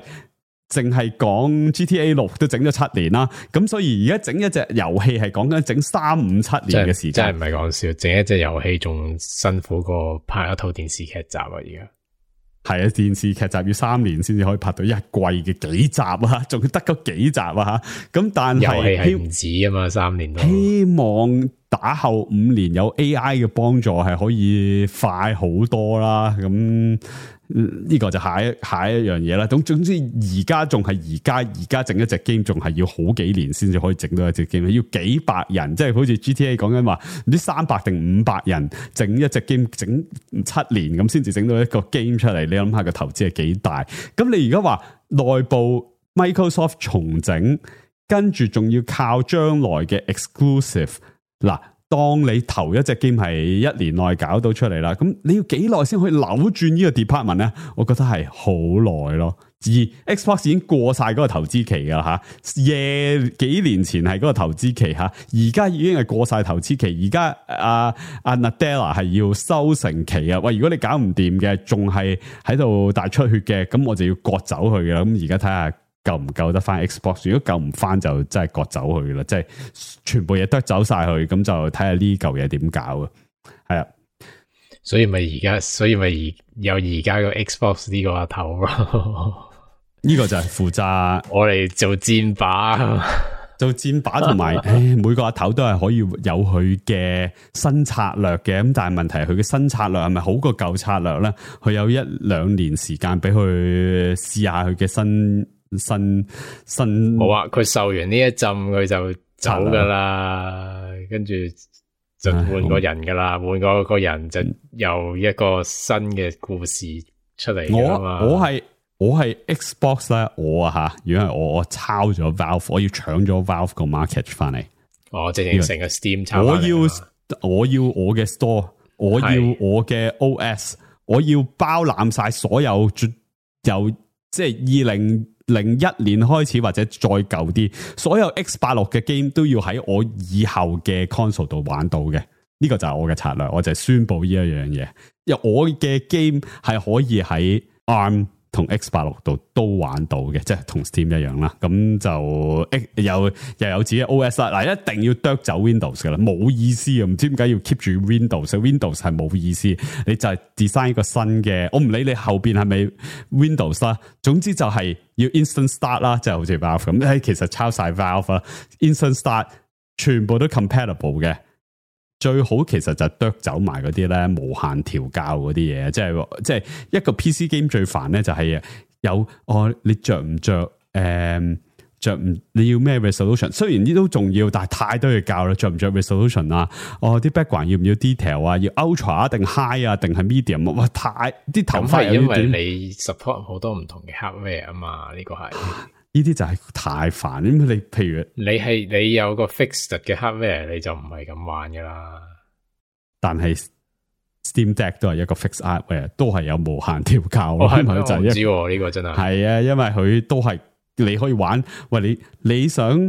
淨係講 GTA 6都整咗7年啦，咁所以而家整一隻遊戲係講緊整3-5-7年嘅時間，真係唔係講笑，整一隻遊戲仲辛苦過拍一套電視劇集啊！而家係啊，電視劇集要3年先至可以拍到一季嘅幾集啊，仲要得嗰幾集啊吓，咁但係遊戲係唔止啊嘛，3年都希望打後5年有 AI 嘅幫助係可以快好多啦，咁。呢個就下一樣嘢啦。總之而家仲係而家整一隻 game 仲係要好幾年先至可以整到一隻 game，要幾百人，即係好似 GTA 講緊話唔知300定500人整一隻 game 整7年咁先至整到一個 game 出嚟。你諗下個投資係幾大？咁你而家話內部 Microsoft 重整，跟住仲要靠將來嘅 exclusive 嗱。當你頭一隻 game 係1年內搞到出嚟啦，咁你要幾耐先可以扭轉呢個 department 咧？我覺得係好耐咯。而 Xbox 已經過晒嗰個投資期噶啦吓，幾年前係嗰個投資期吓，而家已經係過晒投資期。而家阿 Nadella 係要收成期啊！喂，如果你搞唔掂嘅，仲係喺度大出血嘅，咁我就要割走佢噶啦。咁而家睇下。夠唔夠得翻 Xbox？ 如果夠唔翻就真係割走去啦，即係全部嘢都走晒去，咁就睇下呢嚿嘢點搞啊？係啊，所以咪有而家個 Xbox 呢個阿頭咯。呢個就係負責我哋做箭靶，做箭靶同埋，每個阿頭都係可以有佢嘅新策略嘅。咁但係問題係佢嘅新策略係咪好過舊策略咧？佢有1-2年時間俾佢試下佢嘅新冇啊！佢受完呢一浸佢就走噶啦，跟住就換個人噶啦，換個人就由一個新嘅故事出嚟噶嘛。我係 Xbox 咧，我啊吓，如果係我抄咗 Valve， 我要搶咗 Valve 個 market 翻嚟。直情成個 Steam 抄我要我嘅 store， 我要我嘅 OS， 我要包攬晒所有由即係2001年開始或者再舊啲，所有 X86 嘅 game 都要喺我以後嘅 console 度玩到嘅，呢個就係我嘅策略，我就係宣布呢一樣嘢，因為我嘅 game 係可以喺 ARM 同 X86 度都玩到嘅，即係同 Steam 一樣啦。咁就又有自己 OS 啦。嗱，一定要剁走 Windows 噶啦，冇意思啊！唔知點解要 keep 住 Windows 係冇意思。你就係 design 一個新嘅，我唔理你後邊係咪 Windows 啦。總之就係要 Instant Start 啦，即係好似 Valve 咁。其實抄晒 Valve 啦 ，Instant Start 全部都 compatible 嘅。最好其實就剁走埋嗰啲咧無限調校嗰啲嘢，即係一個 PC game 最煩咧就係有你着唔着你要咩 resolution？ 雖然呢都重要，但係太多嘢教啦，着唔着 resolution 啊？啲 background 要唔要 detail 啊？要 ultra 定 high 啊？定係 medium？ 哇，太啲頭髮有啲短。因為你 support 好多唔同嘅 hardware 啊嘛，呢個係。呢啲就係太煩，因為你譬如你有個 fixed 嘅 hardware， 你就唔係咁玩噶啦。但係 Steam Deck 都係一個 fixed hardware， 都係有無限調校。我唔知呢個真係。係啊，因為佢都係你可以玩。喂，你想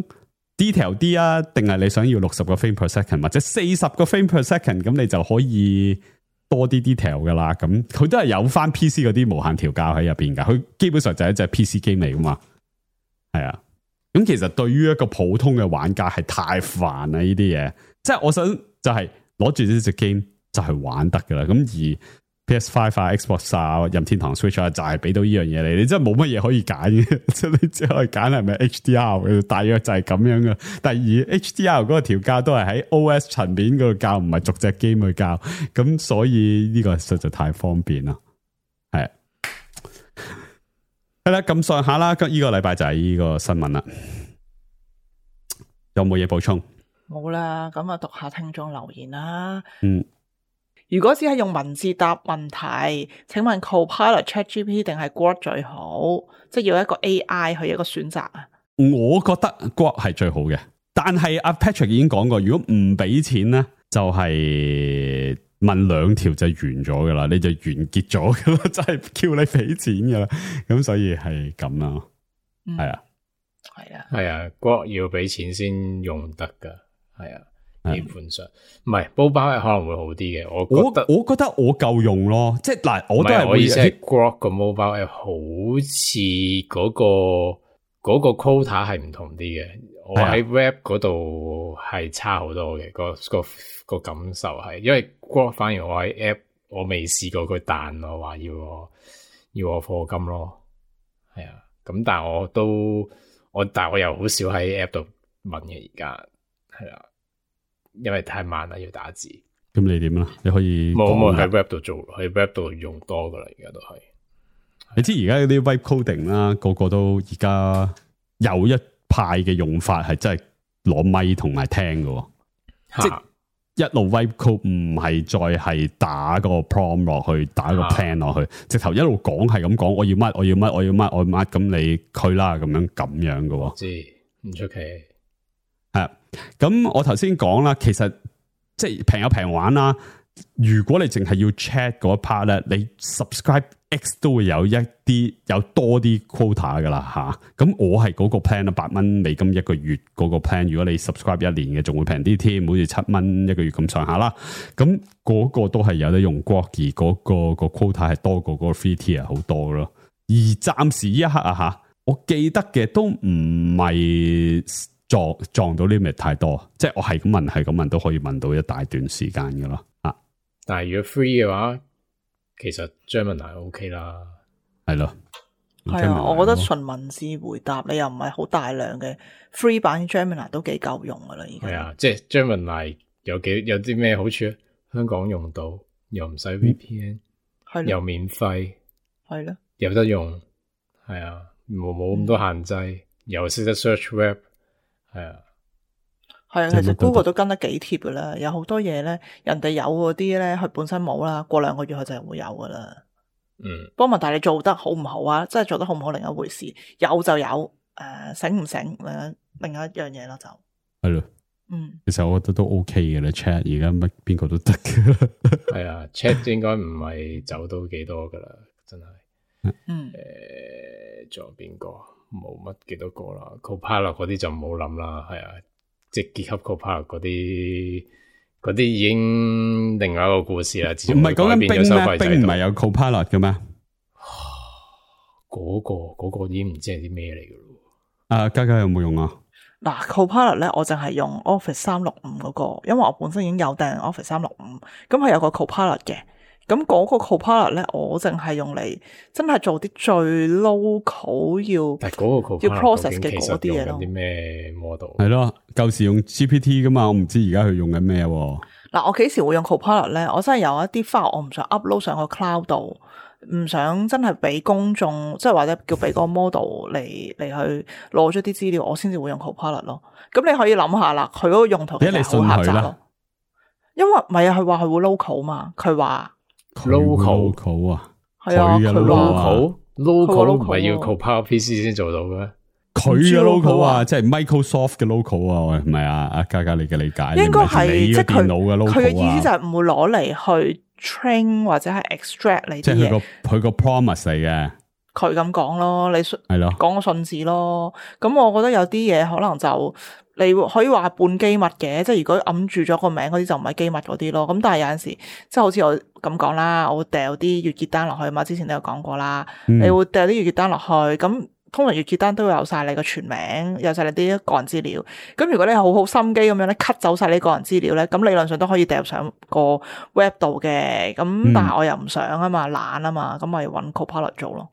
detail 啲啊，定係你想要60個 frame per second 或者40個 frame per second？ 咁你就可以多啲 detail 噶啦，咁佢都係有翻 PC 嗰啲無限調教喺入邊噶，佢基本上就係一隻 PC game 嚟噶嘛，係啊。咁其實對於一個普通嘅玩家係太煩啦呢啲嘢，即係我想就係攞住呢隻 game 就係玩得噶啦。咁而 PS5 啊、Xbox 啊、任天堂 Switch 啊，就係俾到呢樣嘢你真係冇乜嘢可以揀嘅，即係你只可以揀係咪 HDR， 大約就係咁樣嘅。第二 HDR 嗰個調教都係喺 OS 層面嗰度教，唔係逐隻 game 去教，咁所以呢個實在太方便啦。係啦，咁上下啦，呢個禮拜就係呢個新聞啦。有冇嘢補充？冇啦，咁啊讀下聽眾留言啦。嗯，如果只係用文字答問題，請問 Copilot、ChatGPT 定係 Grok 最好？即係要一個 AI 去一個選擇啊？我覺得 Grok 係最好嘅，但係阿 Patrick 已經講過，如果唔俾錢咧，就係問2條就完咗噶啦，你就完結咗噶啦，就係叫你俾錢噶啦。咁所以係咁啦，係啊。係啊，Grok 要俾錢先用得噶，係啊，基本上唔係煲包係可能會好啲嘅，我覺得我夠用咯，即係嗱，我都係我意思係 Grok 個 mobile app 好似嗰個 quota 係唔同啲嘅，我喺 web 嗰度係差好多嘅，個感受係，因為 Grok 反而我喺 app 我未試過佢彈我話要我課金咯，係啊，咁但係但我又好少喺 app 度問嘅，而家係啦，因為太慢啦，要打字。咁你點啊？你可以冇喺 web 度做，喺 web 度用多噶啦，而家都係。你知而家嗰啲 web coding 啦，個個都而家有一派嘅用法係真係攞咪同埋聽嘅，即係一路 web code 唔係再係打個 prompt 落去，打個 plan 落去，直頭一路講係咁講，我要乜，我要乜，我要乜，我要乜，咁你佢啦，咁樣嘅。知唔出奇？係咁，我頭先講啦，其實即係平有平玩啦。如果你淨係要 chat 嗰一 part 咧，你 subscribe X 都會有多啲 quota 噶啦吓。咁我係嗰個 plan 啊，$8美金一個月嗰個 plan。如果你 subscribe 1年嘅，仲會平啲添，好似$7一個月咁上下啦。咁嗰個都係有得用 Grok， 而嗰個 quota 係多過嗰個 free tier 好多咯。而暫時呢一刻啊吓，我記得嘅都唔係撞到 limit 太多，即係我係咁問都可以問到一大段時間噶咯。但係如果 free 嘅話，其實 Gemini OK 啦，係咯，係啊，我覺得純文字回答你又唔係好大量嘅 free 版 Gemini 都幾夠用噶啦，而家係啊，即係 Gemini 有啲咩好處？香港用到又唔使 VPN，又免費，係咯，有得用，係啊，冇咁多限制，又識得 search web， 係啊。係啊，其實 Google 都跟得幾貼噶啦，有好多嘢咧，人哋有嗰啲咧，佢本身冇啦，過2個月佢就係會有噶啦。不過問題你做得好唔好啊？真係做得好唔好另一回事，有就有，醒唔醒另一樣嘢咯，就係咯。其實我覺得都 OK 嘅啦 ，chat 而家乜邊個都得嘅。係啊，chat 應該唔係走到幾多噶啦，真係。仲有邊個？冇乜幾多個啦 ，Copilot 嗰啲就唔好諗啦，係啊。即係結合 Copilot 嗰啲已經另外一個故事啦。唔係講緊冰咩？冰唔係有 Copilot 嘅咩？嗰個已經唔知係啲咩嚟嘅咯。嘉嘉有冇用啊？嗱 ，Copilot 咧，我淨係用 Office 365嗰個，因為我本身已經有訂 Office 365，咁係有個 Copilot 嘅。咁嗰個 Copilot 咧，我淨係用嚟真係做啲最 local 要 process 嘅嗰啲嘢咯。啲咩 model？係咯，舊時用 GPT 噶嘛，我唔知而家佢用緊咩。嗱，我幾時會用 Copilot 咧？我真係有一啲 file 我唔想 upload 上個 cloud 度，唔想真係俾公眾，即係或者叫俾個 model 嚟去攞咗啲資料，我先至會用 Copilot 咯。咁你可以諗下啦，佢嗰個用途其實好狹窄咯。因為唔係啊，佢話佢會 local 嘛，佢話。local 啊，係啊，佢 local 唔係要 Copilot PC 先做到嘅咩？佢嘅 local 啊，即係 Microsoft 嘅 local 啊，係咪啊？嘉嘉你嘅理解應該係即係電腦嘅 local 啊。佢嘅意思就係唔會攞嚟去 train 或者係 extract 你啲嘢。即係佢個 promise 嚟嘅。佢咁講咯，你係咯，講個信字咯。咁我覺得有啲嘢可能就你可以話半機密嘅，即係如果揞住咗個名嗰啲就唔係機密嗰啲咯。咁但係有陣時即係好似我咁講啦，我會掉啲月結單落去嘛，之前都有講過啦。你會掉啲月結單落去，咁通常月結單都會有晒你個全名，有晒你啲個人資料。咁如果你好好心機咁樣咧 cut 走晒你個人資料咧，咁理論上都可以掉上個 web 度嘅。咁但係我又唔想啊嘛，懶啊嘛，咁咪揾 Copilot 做咯。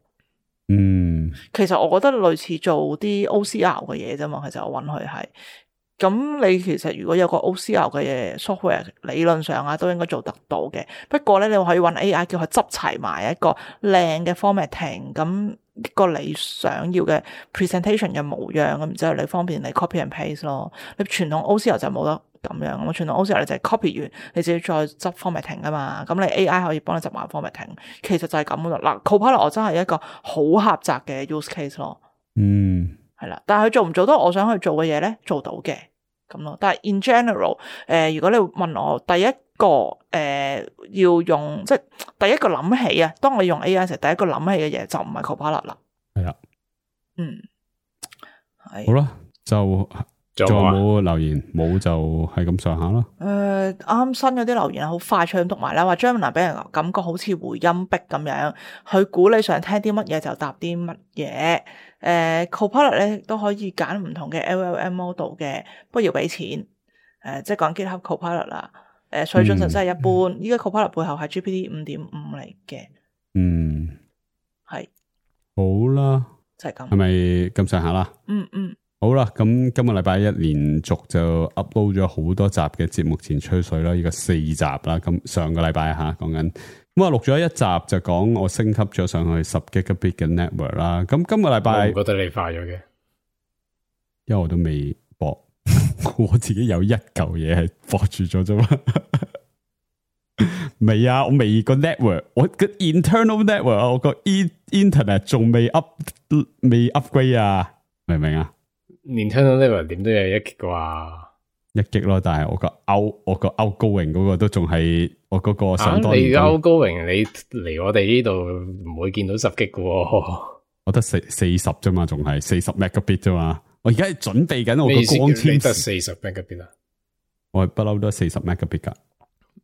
其實我覺得類似做啲 OCR 嘅嘢啫嘛，其實我揾佢係。咁你其實如果有個 OCR 嘅嘢 software，理論上啊都應該做得到嘅。不過咧，你可以揾 AI 叫佢執齊埋一個靚嘅 formatting，咁一個你想要嘅 presentation 嘅模樣，咁然之後你方便你 copy and paste 咯。你傳統 OCR 就冇得咁樣，咁傳統 OCR 你就係 copy 完，你自己再執 formatting 啊嘛。咁你 AI 可以幫你執埋 formatting， 其實就係咁咯。嗱 Copilot 我真係一個好狹窄嘅 use case 咯。係啦，但係佢做唔做到我想去做嘅嘢咧？做到嘅咁咯。但係 in general，如果你問我第一個要用，即係第一個諗起啊，當我用 AI 時，第一個諗起嘅嘢就唔係 Copilot 啦。係啦，係好啦，就仲有冇留言？冇就係咁上下啦。啱新嗰啲留言好快脆咁讀埋啦，話 Gemini 俾人感覺好似回音壁咁樣，佢估你想聽啲乜嘢就答啲乜嘢。Copilot 咧都可以揀唔同嘅 LLM model 嘅，不過要俾錢。即係講 GitHub Copilot 啦。水準真係一般。依家 Copilot 背後係 GPT 5.5嚟嘅。係。好啦，就係咁。係咪咁上下啦？好啦，咁今個禮拜一連續就 upload 咗好多集嘅節目前吹水啦，呢個4集啦。咁上個禮拜講緊，咁我錄咗一集就講我升級咗上去10 Gigabit 嘅 network 啦。咁今個禮拜，我唔覺得你快咗嘅，因為我都未駁，我自己有一嚿嘢係駁住咗啫嘛。未啊，我未個 network， 我個 internal network， 我個 internet 仲未 upgrade 啊，明唔明啊？Internal network 點都有1 G 啩，1 G 咯，但係我個 outgoing 嗰個都仲係我嗰個上多年。你 outgoing 你嚟我哋呢度唔會見到10 G 嘅喎，我得40啫嘛，仲係40 megabit 啫嘛。我而家係準備緊我個光纖，你得40 megabit 啊？我係不嬲都40 megabit 噶。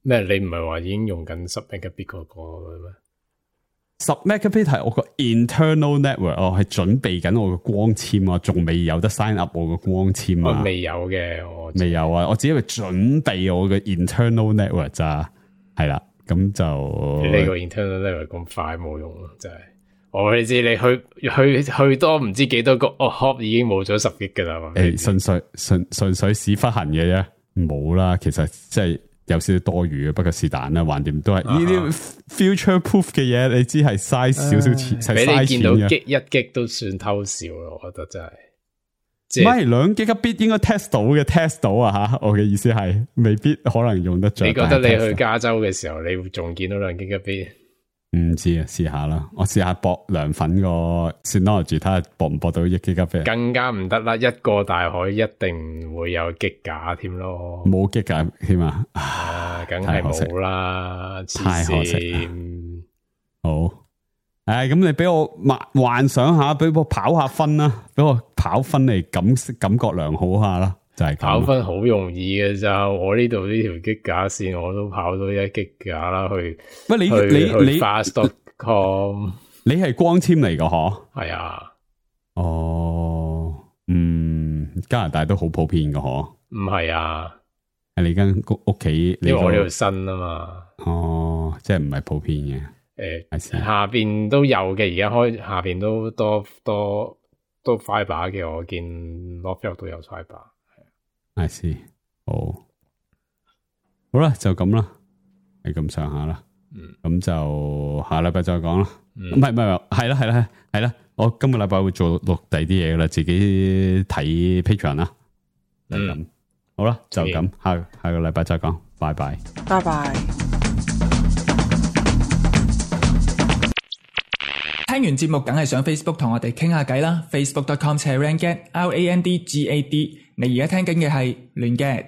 咩？你唔係話已經用緊10 megabit 嗰個咩？10 megabit 係我個 internal network， 我係準備緊我個光纖啊，仲未有得 sign up 我個光纖啊。我未有嘅，我未有啊，我只係準備我嘅 internal network 咋，係啦，咁就你個 internal network 咁快冇用咯，真係。我你知你去多唔知幾多個hop 已經冇咗10 G 噶啦。純粹屎忽痕嘅啫，冇啦。其實即係有少少多餘嘅，不過是但啦，橫掂都係呢啲 future proof 嘅嘢，你知係嘥少少錢，係嘥錢嘅。俾你見到1 G 都算偷笑咯，我覺得真係。唔係2 Gigabit 應該 test 到啊吓，我嘅意思係未必可能用得着。你覺得你去加州嘅時候，你仲見到2 Gigabit？唔知啊，試下啦，我試下駁涼粉個 Synology 睇下駁唔駁到1 Gigabit。更加唔得啦，一個大海一定唔會有giga架添咯，冇giga架添啊！梗係冇啦，太可惜。好，咁你俾我幻想下，俾我跑下分啦，俾我跑分嚟感覺良好下啦，就係跑分好容易嘅咋，我呢度呢條giga架線我都跑到1 giga架啦，去你 fast.com， 你係光纖嚟噶嗬？係啊，加拿大都好普遍噶嗬？唔係啊，係你間屋企，因為我呢度新啊嘛，即係唔係普遍嘅。下邊都有嘅，而家下邊都多 fiber 嘅，我見 Northfield 都有 fiber。I see， 好啦，就咁啦，係咁上下啦。咁就下禮拜再講啦。唔係，係啦。我今個禮拜會錄第啲嘢噶啦，自己睇 Patreon 啦。咁好啦，就咁，下個禮拜再講，拜拜。拜拜。聽完節目梗係上 Facebook 同我哋傾下偈啦，facebook.com/randgad，RANDGAD。你而家聽緊嘅係亂 gad。